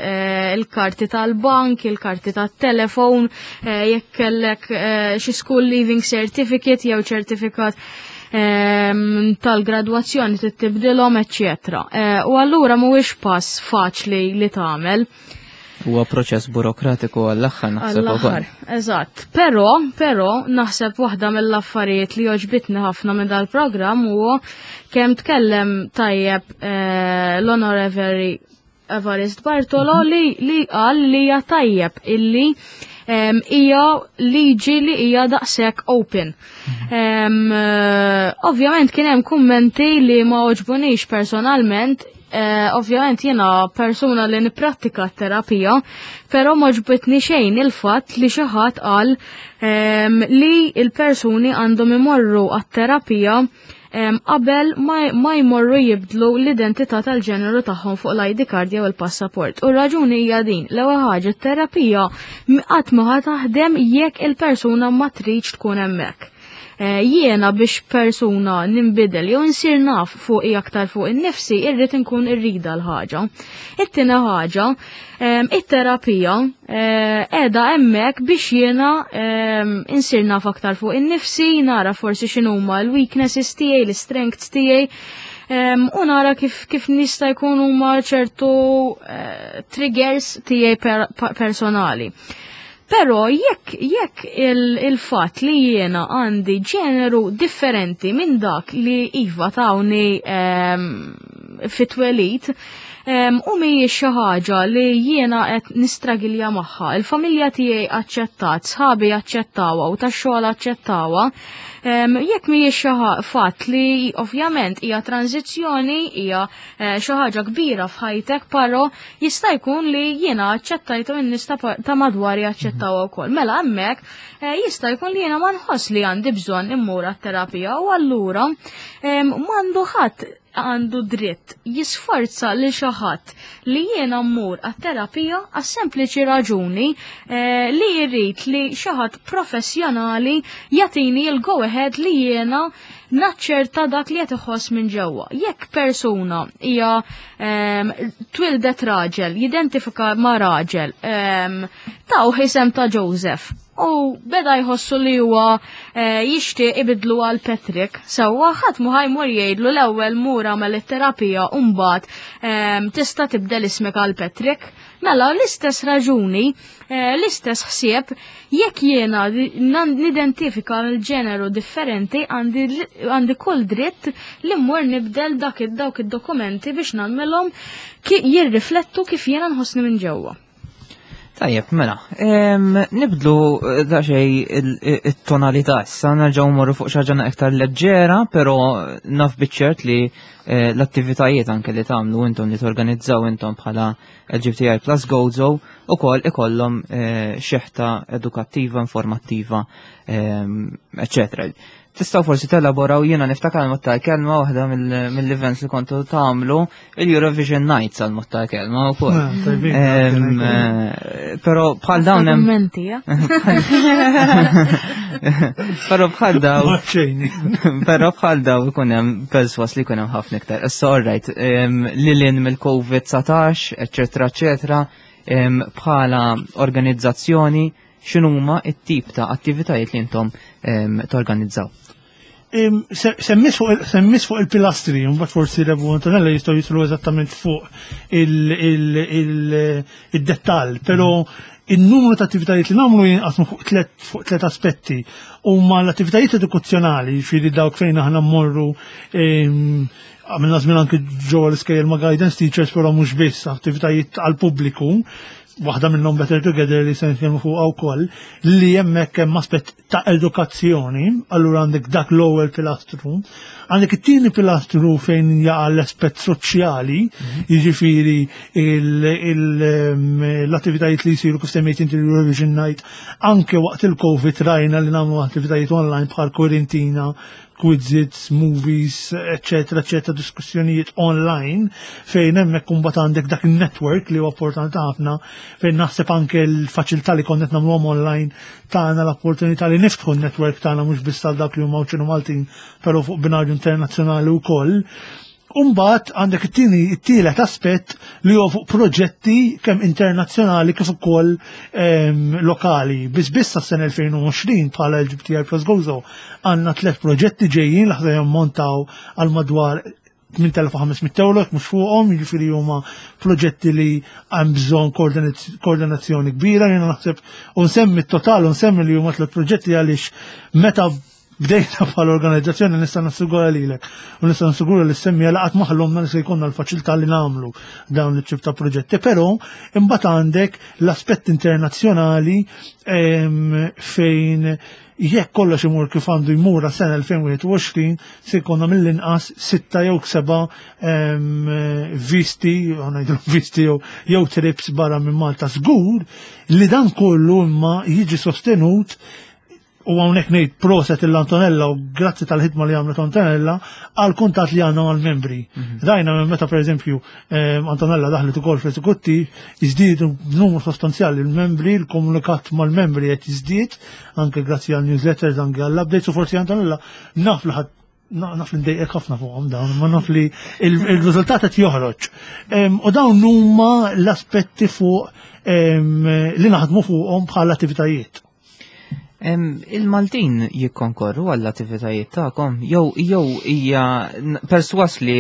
il-karti tal-bank, il-karti tat-telefon, jekk kellek xi school leaving certificate jew ċertifikat tal-gradwazzjoni trid tibdilhom, eċċetera. U allura mhuwiex pass faċli li tagħmel. Huwa proċess burokratiku għall-aħħar, naħseb ukoll. Għall-aħħar, eżatt. Però naħseb waħda mill-affarijiet li għoġbitni ħafna minn dal-programm huwa kemm tkellem tajjeb l-Honorary Evarist Bartolo li qal li hija tajjeb illi hija liġi li hija daqshekk open. Ovvjament kien hemm kummenti li ma għoġbunix personalment. Ovvjament jiena persuna li nipprattika terapija, però ma għoġbitni xejn il-fatt li xi ħadd qal li il-persuni għandhom imorru għat-terapija qabel ma jmorru jibdlu l-identità tal-ġeneru tagħhom fuq l-ID card jew il-passaport. U raġuni hija din: l-ewwel ħaġa, t-terapija qatt ma ħa taħdem jekk il-persuna ma tridx tkun hemmhekk. Jiena biex persuna ninbidel jew insir naf fuq aktar fuq in-nifsi irrid inkun irrida l-ħaġa. It-tieni ħaġa, it-terapija qiegħda hemmhekk biex jiena insir naf aktar fuq in-nifsi, nara forsi x'inhuma l-weaknesses tiegħi, l-strengths tiegħi, u nara kif nista' jkun huma ċertu triggers tiegħi personali. Però jekk il-fatt li jiena għandi ġeneru differenti minn dak li iva tawni fit-twelid, u mhijiex xi ħaġa li jiena qed nistragilja magħha, il-familja tiegħi aċċettat, sħabi aċċettawha u tax-xogħol aċċettawha, jekk mhijiex xi fatt li ovvjament hija tranzizzjoni, hija xi ħaġa kbira f'ħajtek, però jista' jkun li jiena aċċettajtu n-nies ta' madwari aċċettawha wkoll. Mela hemmhekk jista' jkun li jiena ma nħoss li għandi bżonn immur għat-terapija u allura m'għandu ħadd għandu dritt jisforza lil xi ħadd li jiena mmur għat-terapija għas-sempliċi raġuni li jrid li xi ħadd professjonali jagħtini l-go ahead li jiena naċċerta dak li qed iħoss minn ġewwa. Jekk persuna hija twildet raġel, jidentifika ma' raġel, taw isem ta' Joseph, u beda jħossu li huwa jixtieq ibidlu għal Patrick, sewwa ħadd mu ħajmur jgħidlu l-ewwel mur għamel it-terapija u mbagħad tista' tibdel ismek għal Patrick. Mela l-istess raġuni, l-istess ħsieb, jekk jiena nidentifika l-ġeneru differenti, għandi kull dritt li mmur nibdel dawk id-dokumenti biex nagħmilhom jirriflettu kif jiena nħossni minn ġewwa. Tajjeb, mela, nibdlu daqsxejn it-tonalità issa, nerġgħu mmorru fuq xi ħaġa iktar leġġera, però naf biċ-ċert li l-attivitajiet anke li tagħmlu intom li torganizzaw intom bħala LGBTI Plus Gozo ukoll ikollhom xeħta edukattiva, informattiva, eccetera. Tistgħu forsi telaboraw, jiena niftakar għal mod tal-kelma waħda mill-events li kontu tagħmlu il-Eurovision Nights għal mod tal-kelma wkoll. Ah, tajbin, tajbin. Però bħal dawn hemm Kummenti, ja? Però bħal dawn Maċċejni. Però bħal dawn ikun hemm perswas li jkun hemm ħafna iktar. Issa all right, lil hinn mill-COVID-19, eċetera, eċetera, bħala organizzazzjoni x'inhuma t-tip ta' attivitajiet li intom torganizzaw? Semmis fuq il-pilastri, mbagħad forsi Revu Antonella jistgħu jislu eżattament fuq id-dettall, però il-numru ta' attivitajiet li nagħmlu jinqasmu fuq tliet aspetti. Huma l-attivitajiet edukazzjonali, jiġifieri dawk fejn aħna mmorru, għamilna żmien anke ġewwa l-iskejjel ma' guidance teachers, però mhux biss, attivitajiet għall-pubbliku, waħda minnhom Better Together li se nitkellmu fuqha wkoll, li hemmhekk hemm aspett ta' edukazzjoni, allura għandek dak l-ewwel pilastru. Għandek it-tieni pilastru fejn jaqa' l-aspett soċjali, jiġifieri l-attivitajiet li jsiru kif semmejt inti l-Eurovision Night, anke waqt il-Covid rajna li nagħmlu attivitajiet online bħal Quarantina, quizzes, movies, eccetera, eccetera, diskussjonijiet online, fejn hemmhekk imbagħad għandek dak il-network li huwa importanti ħafna, fejn naħseb anke l-faċilità li konna qed nagħmluhom online tagħna l-opportunità li niftħu n-network tagħna mhux biss għal dak li huma Għawdxin u Maltin, però fuq binarju internazzjonali wkoll. Umbagħad għandek it-tielet aspett li huwa fuq proġetti kemm internazzjonali kif ukoll lokali. Biss biss sas-sena 2020 bħala LGBTI Plus Gozo għandna tliet proġetti ġejjin li ħa jammontaw għal madwar 8500 euro, jekk mhux fuqhom, jiġifieri huma proġetti li hemm bżonn koordinazzjoni kbira. Jiena naħseb u nsemmi t-total u nsemmi li huma tliet proġetti għaliex meta bdejna bħala organizzazzjoni nista' nassigura lilek u nista' nassigura li semmi għal qatt ma ħlomna li se jkollna l-faċilità li nagħmlu dawn it-tip ta' proġetti, però imbagħad għandek l-aspett internazzjonali fejn jekk kollox imur kif għandu jmur għas-sena 2021 se jkollna mill-inqas 6 jew 7 visti, ngħidu visti jew trips barra minn Malta. Żgur li dan kollu imma jiġi sostenut U hawnhekk ngħid proset il-Antonella u grazzi tal-ħidma li għamlet Antonella għal kuntatt li għandna mal-membri. Rajna minn meta pereżempju Antonella daħlet ukoll fl-eżekuttiv, jiżdiedu numru sostanzjali l-membri, l-komunikat mal-membri qed jiżdied, anke grazzi għal newsletters, anke għall updates u forsi Antonella naf li ħadd naf li ndejqek ħafna fuqhom dawn, ma naf li il-riżultat qed joħroġ. U dawn huma l-aspetti fuq li naħdmu fuqhom bħala attivitajiet. Il-Maltin jikkonkorru għall-attivitajiet tagħkom jew hija perswas li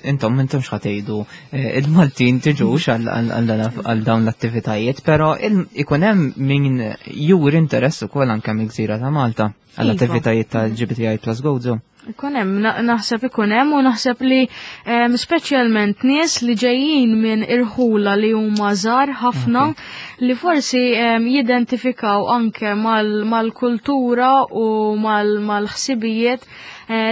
intom m'intomx ħa tgħidu il-Maltin tiġux għal dawn l-attivitajiet, però ikun hemm min juri interess ukoll anke mill-gżira ta' Malta għall-attivitajiet tal-LGBTI plus Gozo. Ikun hemm, naħseb ikun hemm u naħseb li speċjalment nies li ġejjin minn irħula li huma żgħar ħafna li forsi jidentifikaw anke mal-kultura u mal-ħsibijiet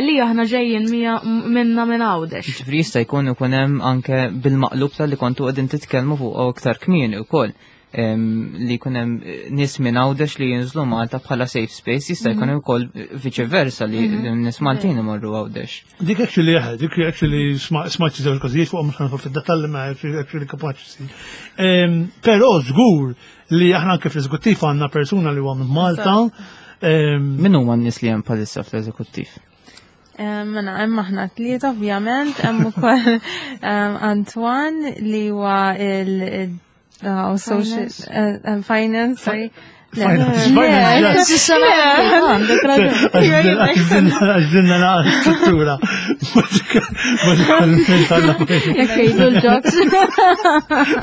li aħna ġejjin minna minn Għawdex. Ġifieri jista' jkun ikun hemm anke bil-maqlub tal-li kontu qegħdin titkellmu fuq aktar kmieni wkoll. Li jkun hemm nies minn Għawdex li jinżlu Malta bħala safe space, jista' jkun ukoll viċi versa li nies Maltin imorru Għawdex. Dik actually eħe, dik actually smajt xi żewġ każijiet fuq mhux ħanfol fid-dettalji ma actually kapaċi ssir. Però żgur li aħna anke fl-eżekuttiv għandna persuna li huwa minn Malta. Min huma n-nies li hemm bħalissa fl-eżekuttiv? Mela, hemm aħna tlieta ovvjament, hemm ukoll Antoine li huwa il Oh, social, Finance. finance, sorry. Finance, Le, finance, le, yes. le, le, Għaxdilna naqra struttura. Bażikament għandna Jekk jgħidu l-ġoks.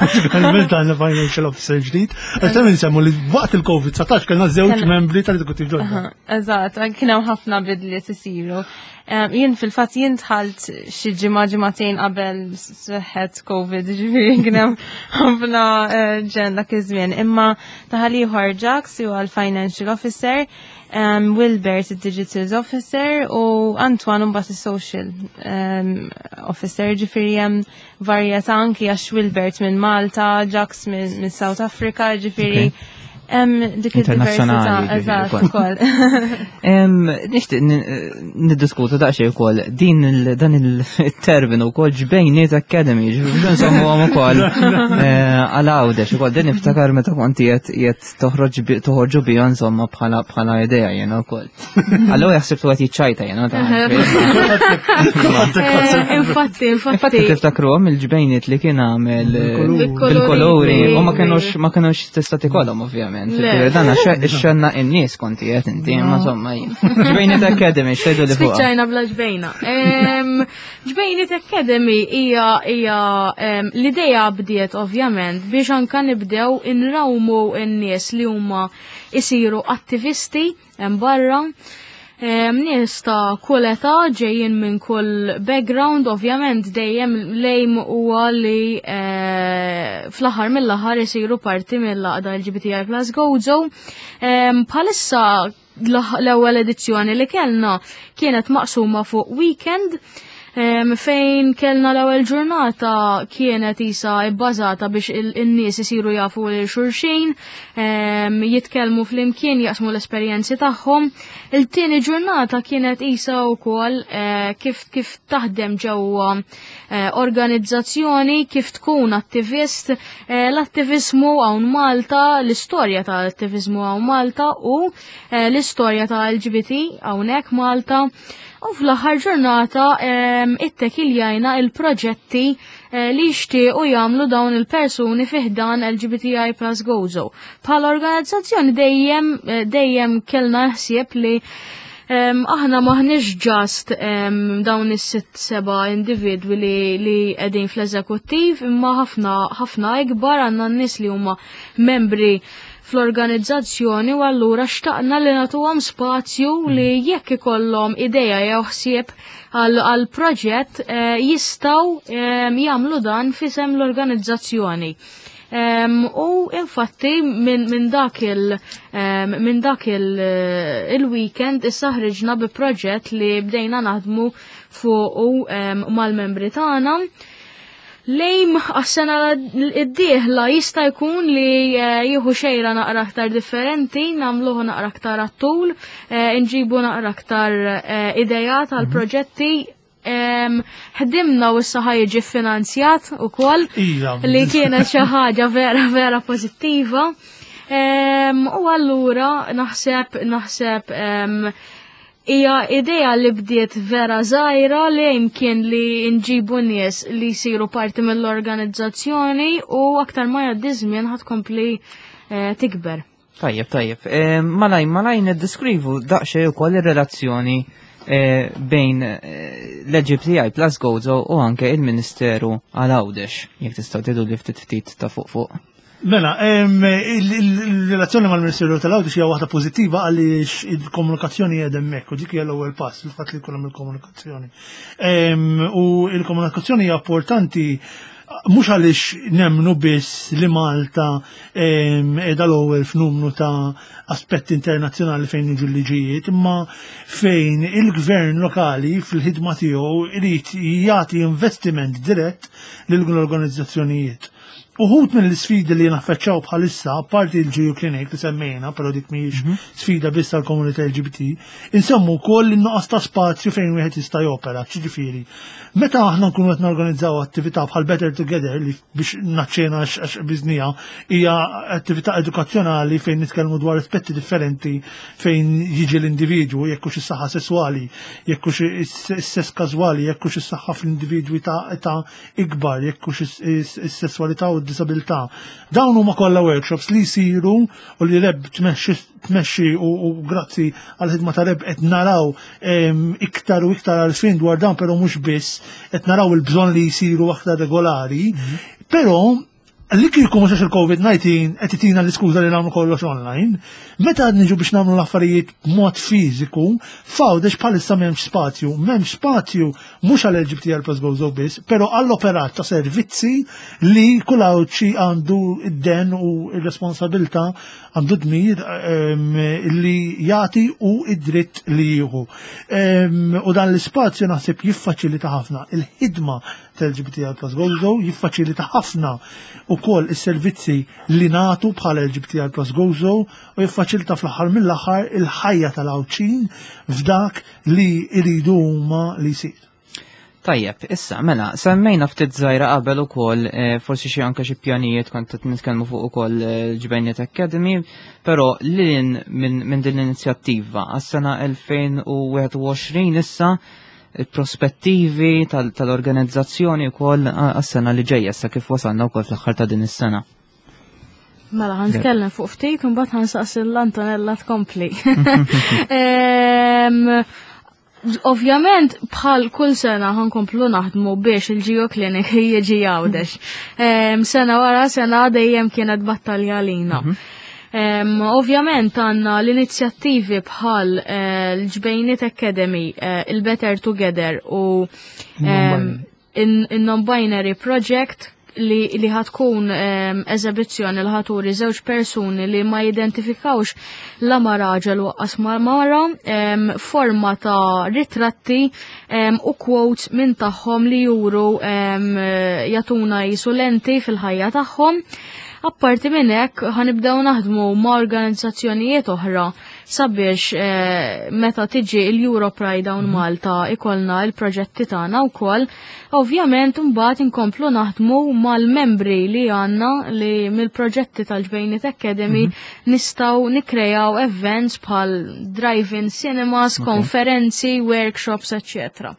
Bażikament għandna financial officer ġdid. Għax ta' nsemmu li waqt il-COVID-19 kellna żewġ membri tal-eżekuttiv ġodda. Aha, eżatt, kien hemm ħafna bidliet isiru. Jien fil-fatt jien dħalt xi ġimgħa ġimagħtejn qabel seħħet COVID, ġifieri kien hemm ħafna ġen dak iż-żmien. Imma taħal ieħor Jax huwa l-financial officer, Wilbert il-digital officer u Antoine mbagħad is-social officer, ġifieri hemm varjetà anki għax Wilbert minn Malta, Jax minn South Africa, ġifieri hemm dik Internazzjonali, id-diversità, ġifieri, eżatt, ukoll. ukoll. Nixtieq niddiskutu daqsxejn ukoll dan il-terminu wkoll ġbejniet Academy, ġifieri nsemmuhom ukoll, għal Għawdex ukoll din niftakar meta kont qiegħed toħorġu biha insomma bħala idea jiena wkoll. Allura jaħseb tu qed jiċċajta jiena ta' Infatti, infatti. Infatti tiftakruhom il-ġbejniet li kien għamel Bil-kolori. bil-kolori u ma kinux tista' tikolhom ovvjament. Le. Ġifieri dan għax ix-xenna in-nies konti qed inti, imma insomma jien. Ġbejniet Academy, x'tgħidu li fuqha? Spiċċajna bla ġbejna. Ġbejniet Academy hija l-idea bdiet ovvjament biex anka nibdew inrawmu n-nies li huma isiru attivisti hemm barra. Nies ta' kull età ġejjin minn kull background, ovvjament dejjem lejm huwa li fl-aħħar mill-aħħar isiru parti mill-għaqda LGBTI plus Gozo. Bħalissa l-ewwel edizzjoni li kellna kienet maqsuma fuq weekend, fejn kellna l-ewwel ġurnata kienet isa bbażata biex in-nies isiru jafu lil xulxin, jitkellmu flimkien, jaqsmu l-esperjenzi tagħhom. Il-tieni ġurnata kienet isa wkoll kif taħdem ġewwa organizzazzjoni, kif tkun attivist, l-attivizmu hawn Malta, l-istorja tal-attivizmu hawn Malta u l-istorja ta' LGBT hawnhekk Malta. U fl-aħħar ġurnata ittekiljajna il-proġetti li jixtiequ jagħmlu dawn il-persuni fi ħdan LGBTI plus Gozo. Bħala organizzazzjoni dejjem kellna ħsieb li aħna maħniex ġast dawn is-sitt seba' individwi li qegħdin fl-eżekuttiv, imma ħafna ikbar għandna n-nies li huma membri fl-organizzazzjoni u allura xtaqna li nagħtuhom spazju li jekk ikollhom idea jew ħsieb għal proġett jistgħu jagħmlu dan f'isem l-organizzazzjoni. U infatti minn dak il-weekend issa ħriġna bi proġett li bdejna naħdmu fuqu mal-membri tagħna. L-aim għas-sena id-dieħla jista' jkun li jieħu xejra naqra aktar differenti, nagħmluh naqra aktar għat-tul, nġibu naqra aktar idejat għal proġetti. Ħdimna u issa ħa jiġi finanzjat ukoll li kienet xi ħaġa vera vera pożittiva. U allura naħseb hija idea li bdiet vera żgħira li jimkien li nġibu nies li jsiru parti mill-organizzazzjoni u aktar ma jgħaddi żmien ħa tkompli tikber. Tajjeb, tajjeb. Malaj, malaj niddeskrivu daqsxejn ukoll ir-relazzjoni bejn l-LGBTI Plus Gozo u anke il-Ministeru għal Għawdex, jekk tistgħu tgħidu li ftit ftit ta' fuq fuq. Mela, il-relazzjoni mal-Ministeru tal-Għawdex hija waħda pożittiva għaliex il-komunikazzjoni hija hemmhekk u dik hija l-ewwel pass, il-fatt li jkun hemm il-komunikazzjoni. U il-komunikazzjoni hija importanti mhux għaliex nemmnu biss li Malta qiegħda l-ewwel f'numru ta' aspetti internazzjonali fejn jiġu l-liġijiet, imma fejn il-gvern lokali fil-ħidma tiegħu irid jagħti investiment dirett lil l-organizzazzjonijiet. Uħud minn l-sfidi li naffaċċaw bħalissa, parti il-GU Clinic li semmejna, pero dik mhijiex sfida biss għall-komunità LGBT, insemmu wkoll in-nuqqas ta' spazju fejn wieħed jista' jopera, ġifieri. Meta aħna nkunu qed norganizzaw attività bħal Better Together li biex naċċena għax biżnija hija attività edukazzjonali fejn nitkellmu dwar aspetti differenti fejn jiġi l-individwu, jekk hux is-saħħa sesswali, jekk hux is-sess każwali, jekk hux is-saħħa fl-individwi ta' età ikbar, jekk hux is-sesswalità u d-disabilità. Dawn huma kollha workshops li jsiru u li Reb tmexxi u grazzi għal-ħidma ta' Reb qed naraw iktar u iktar għarfien dwar dan, però mhux biss qed naraw il-bżonn li jsiru aktar regolari. Però li kieku mhux għax il-COVID-19 qed itina l-iskuża li nagħmlu kollox online, meta niġu biex nagħmlu l-affarijiet b'mod fiżiku, f'Għawdex bħalissa m'hemmx spazju, m'hemmx spazju mhux għal LGBTI Plus Gozo biss, però għall-operat ta' servizzi li kull Għawdxi għandu id-den u r-responsabilità, għandu dmir li jagħti u id-dritt li jieħu. U dan l-ispazju naħseb jiffaċilita ħafna il-ħidma tal-LGBTI Plus Gozo, jiffaċilita ħafna ukoll is-servizzi li nagħtu bħala LGBTI Plus Gozo u jiffaċilita fl-aħħar mill-aħħar il-ħajja tal-Għawdxin f'dak li jridu huma li jsir. Tajjeb, issa, mela, semmejna ftit żgħira qabel ukoll, forsi xi anke xi pjanijiet kont qed nitkellmu fuq ukoll l-Ġbejniet Academy, però lil minn din l-inizjattiva għas-sena 2021 issa il-prospettivi tal-organizzazzjoni wkoll għas-sena li ġejja issa kif wasalna wkoll fl-aħħar ta' din is-sena. Mela, ħa nitkellem fuq ftit, u mbagħad ħa nsaqsi l-Antonella tkompli. Ovvjament, bħal kull sena ħa nkomplu naħdmu biex il-GU Clinic jiġi Għawdex. Sena wara sena dejjem kienet battalja għalina. Ovvjament għandna l-inizjattivi bħal l-Ġbejniet Academy, il-Better Together u il-Non-Binary Project li ħa tkun eżibizzjoni li ħa turi żewġ persuni li ma jidentifikawx la ma raġel u lanqas ma mara, forma ta' ritratti u quotes minn tagħhom li juru jagħtuna jisu lenti fil-ħajja tagħhom. Apparti minn hekk ħa nibdew naħdmu ma' organizzazzjonijiet oħra sabiex meta tiġi l-Euro Pride hawn Malta ikollna il-proġetti tagħna wkoll. Ovvjament mbagħad inkomplu naħdmu mal-membri li għandna li mill-proġetti tal-Ġbejniet Academy nistgħu nikkrejaw events bħal drive-in cinemas, konferenzi, workshops, eccetera.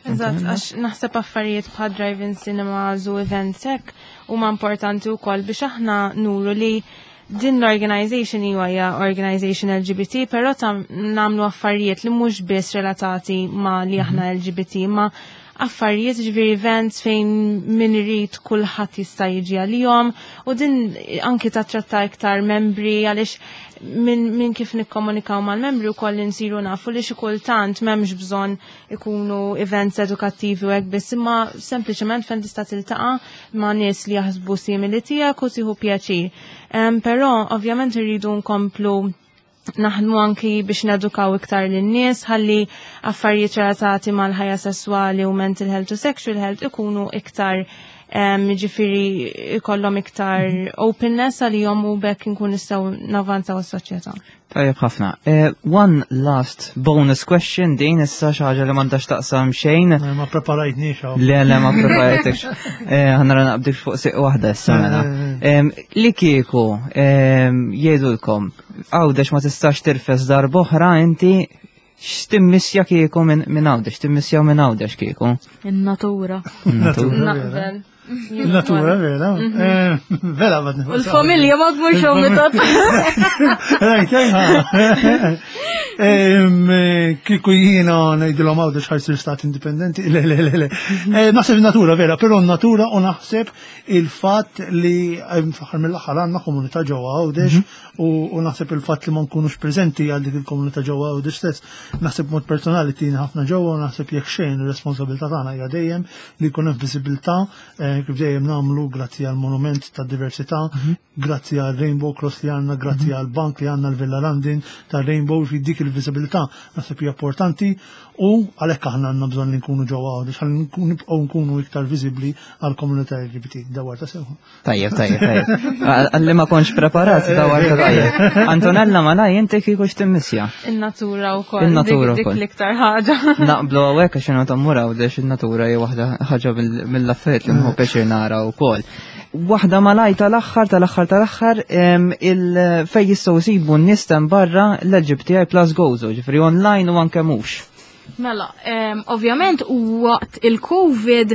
Eżatt, għax naħseb affarijiet bħal drive-in cinemas u events hekk huma importanti wkoll biex aħna nuru li din l-organization hija organization LGBT, però ta' nagħmlu affarijiet li mhux biss relatati ma' li aħna LGBT, ma' affarijiet, ġifieri events fejn min irid kulħadd jista' jiġi għalihom u din anki tattratta iktar membri għaliex min kif nikkomunikaw mal-membri u koll insiru nafu li xi kultant m'hemmx bżonn ikunu events edukattivi u hekk biss, imma sempliċement fejn tista' tiltaqa' ma' nies li jaħsbu simili tiegħek u tieħu pjaċir. Però ovvjament irridu nkomplu. Naħdmu anki biex nedukaw iktar lin-nies ħalli affarijiet relatati mal-ħajja sesswali u mental health u sexual health ikunu iktar, ġifieri ikollhom iktar openness għalihom u bekk nkun nistgħu navanzaw is-soċjetà. Tajjeb ħafna. One last bonus question, din issa xi ħaġa li m'għandax taqsam xejn. Ma preparajtniex hawn. Le, ma preparajtekx. Ħa nara naqbdik fuq siq waħda issa mela. Li kieku jgħidulkom Għawdex ma tistax tirfes darb'oħra, inti x'timmissja kieku minn Għawdex, timmissjaw minn Għawdex kieku? In-natura. In-natura. Naqbel. Natura, vera. Vera, ma U l-familja ma tmurx omitat. Rajt, kieku jiena ngħidilhom Għawdex ħa jsir stat indipendenti, le, le, le, le. Naħseb natura, vera, però natura u naħseb il-fatt li fl-aħħar mill-aħħar għandna komunità ġewwa Għawdex u naħseb il-fatt li ma nkunux preżenti għal dik il-komunità ġewwa Għawdex stess, naħseb mod personali tina ħafna ġewwa u naħseb jekk xejn ir-responsabilità tagħna hija dejjem li jkun hemm viżibilità, kif dejjem nagħmlu grazzi għal monument ta' diversità, grazzi għal Rainbow Cross li għandna, grazzi għal bank li għandna l-Villa London ta' Rainbow, fi dik il-viżibilità naħseb hija importanti u għalhekk aħna għandna bżonn li nkunu ġewwa Għawdex ħalli nibqgħu nkunu iktar viżibbli għal komunità LGBT. Dawar ta' sewwa. Tajjeb, tajjeb, tajjeb. Għalli ma kontx preparat, dawar ta' tajjeb. Antonella, ma naj, inti kieku x'timmissja? In-natura wkoll. In-natura Dik wkoll. l-iktar ħaġa. Naqblu hawnhekk għax jiena tammur Għawdex, in-natura hija waħda ħaġa mill-affarijiet li nħobb pjaċir nara wkoll. Waħda malaj tal-aħħar, tal-aħħar, tal-aħħar, il fej jistgħu jsibu n-nies hemm barra l-LGBTI plus Gozo, ġifieri online u anke mhux. Mela, ovvjament waqt il-Covid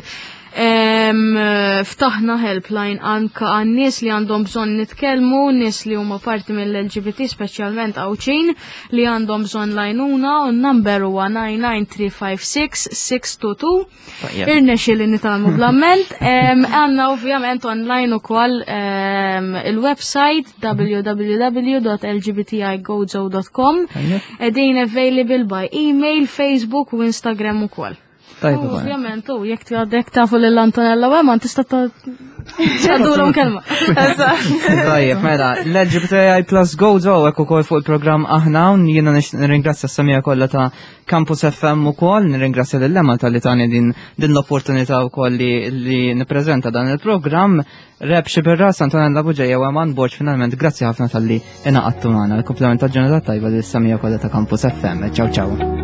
ftaħna helpline anka għan-nies li għandhom bżonn nitkellmu, nies li huma parti mill-LGBT, speċjalment Għawdxin, li għandhom bżonn l-għajnuna, u n-number huwa 99356 622. Tajjeb. Irnexxi li nitgħallmu bl-amment. Għandna ovvjament online ukoll il-website www.lgbtigozo.com. Tajjeb. Qegħdin available by email, Facebook u Instagram ukoll. Tajjeb U ukoll. ovvjament, u jekk għadek tafu lil Antonella Weman, tista' tgħaddulhom kelma. Tajjeb, mela, l-LGBTI plus Gozo hekk ukoll fuq il-programm aħna hawn, jiena nirringrazzja s-semmiegħa kollha ta' Campus FM ukoll, nirringrazzja lil Lemma talli tani din l-opportunità wkoll li nippreżenta dan il-programm. Reb Xiberras, Antonella Bugeja u Eman Borg, finalment grazzi ħafna talli ingħaqadtu magħna. Il-komplement ta' ġurnata tajba lis-semmiegħa kollha ta' Campus FM. Ciao ciao.